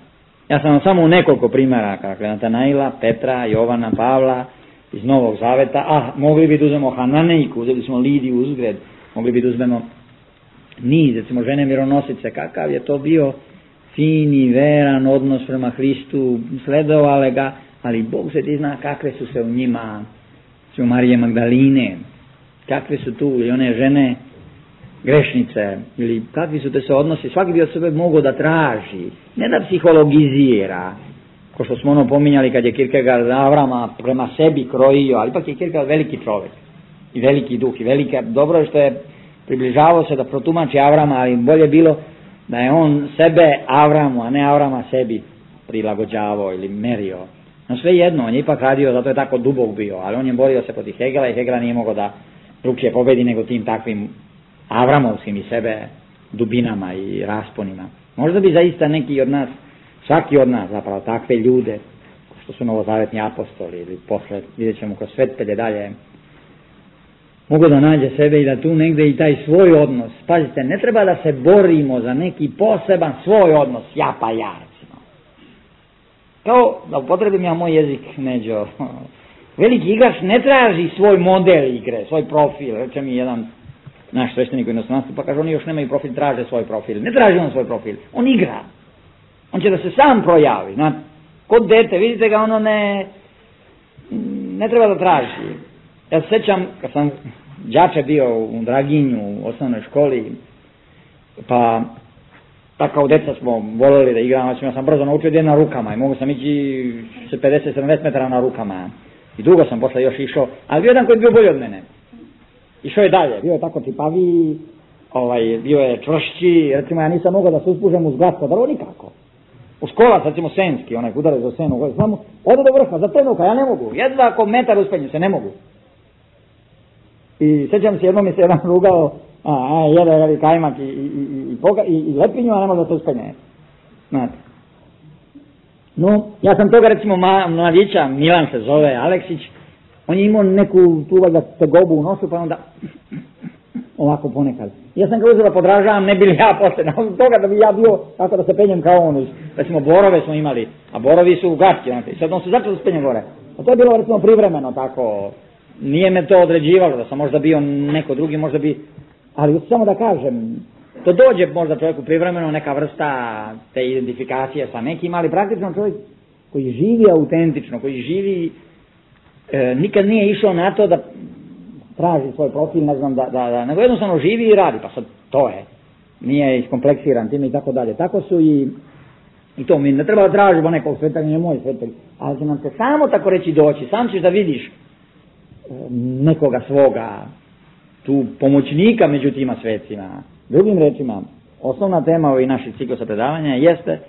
Ja sam vam samo u nekoliko primjera, kakve Natanaila, Petra, Jovana, Pavla, iz Novog Zaveta, a mogli bi da uzmemo Hananejku, uzeli smo Lidiju Uzgred, mogli bi da uzmemo niz, recimo žene mironosice, kakav je to bio fini, veran odnos prema Hristu, sledovale ga, ali Bog se ti zna kakve su se u njima, su Marije Magdaline, kakve su tu i one žene grešnice, ili kakvi su te se odnosi, svaki bi od sebe mogao da traži, ne da psihologizira, ko što smo ono pominjali kad je Kierkegaard Avrama prema sebi krojio, ali ipak je Kierkegaard veliki čovjek i veliki duh i velika, dobro je što je približavao se da protumači Avrama, ali bolje bilo da je on sebe Avramu, a ne Avrama sebi prilagođavao ili merio. No sve jedno, on je ipak radio, zato je tako dubok bio, ali on je borio se protiv Hegela i Hegela nije mogao da drugčije pobedi nego tim takvim Avramovskim i sebe dubinama i rasponima. Možda bi zaista neki od nas, svaki od nas zapravo takve ljude, što su novozavetni apostoli ili posle, vidjet ćemo kroz svetitelje dalje, mogu da nađe sebe i da tu negde i taj svoj odnos, pazite, ne treba da se borimo za neki poseban svoj odnos, ja pa ja, recimo. Kao, da upotrebim ja moj jezik, Neđo, veliki igrač ne traži svoj model igre, svoj profil, reče mi jedan naš sveštenik u inostranstvu, pa kaže, oni još nemaju profil, traže svoj profil. Ne traži on svoj profil, on igra. On će da se sam projavi, znate, kod dete, vidite ga, ono ne, ne treba da traži. Ja se sjećam, kad sam đače bio u Draginju, u osnovnoj školi, pa tako kao deca smo voleli da igramo, ja sam brzo naučio da je na rukama i mogu sam ići se pedeset sedamdeset metara na rukama. I dugo sam posle još išao, ali bio jedan koji je bio bolji od mene. Išao je dalje, bio je tako tipaviji, ovaj, bio je čvršći, recimo ja nisam mogao da se uspužem uz glatko drvo nikako. U škola, recimo Senski, onaj udarac za senu, samo odu do vrha, za trenutka, ja ne mogu, jedva ako metar uspenju se, ne mogu. I sjećam se, jednom mi se jedan rugao, a, a jede jede, kajmak i, i, i, i, poga, i, i lepinju, a ne može da se uspenje. Znate. No, ja sam toga recimo ma, mladića, Milan se zove, Aleksić, on je imao neku tu valjda tegobu u nosu, pa onda ovako ponekad. Ja sam ga uzeo da podražavam, ne bili ja posle, nakon toga da bi ja bio tako da se penjem kao on. Recimo borove smo imali, a borovi su gatki, znate, i sad on se začeo da se penje gore. A to je bilo recimo privremeno tako, nije me to određivalo, da sam možda bio neko drugi, možda bi, ali samo da kažem, to dođe možda čovjeku privremeno neka vrsta te identifikacije sa nekim, ali praktično čovjek koji živi autentično, koji živi, e, nikad nije išao na to da traži svoj profil, ne znam, da, da, da, nego jednostavno živi i radi, pa sad to je, nije iskompleksiran time i tako dalje. Tako su i, i to mi ne treba da tražimo nekog svetelja, nije moj svetelj, ali će nam se samo tako reći doći, sam ćeš da vidiš nekoga svoga, tu pomoćnika među tima svecima. Drugim rečima, osnovna tema ovih naših ciklusa predavanja jeste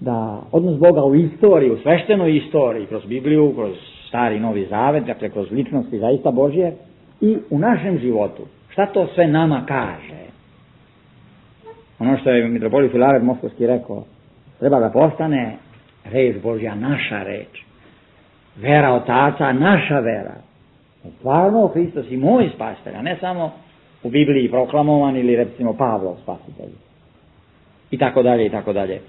da odnos Boga u istoriji, u sveštenoj istoriji, kroz Bibliju, kroz Stari i Novi Zavet, dakle kroz ličnosti zaista Božje i u našem životu. Šta to sve nama kaže? Ono što je mitropolit Filaret Moskovski rekao, treba da postane reč Božja naša reč. Vera otaca naša vera. Stvarno Hristos i moj spasitelj, a ne samo u Bibliji proklamovan ili recimo Pavlov spasitelj. i tako dalje i tako dalje.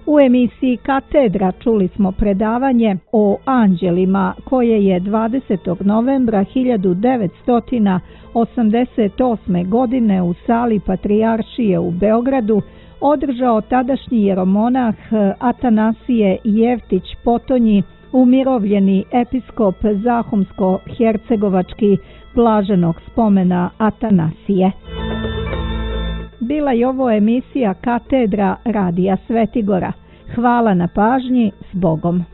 U emisiji Katedra čuli smo predavanje o anđelima koje je dvadesetog novembra hiljadu devetsto osamdeset osme. godine u sali Patrijaršije u Beogradu održao tadašnji jeromonah Atanasije Jevtić Potonji, umirovljeni episkop Zahumsko-hercegovački blaženog spomena Atanasije. Bila je ovo emisija Katedra Radija Svetigora. Hvala na pažnji, s Bogom.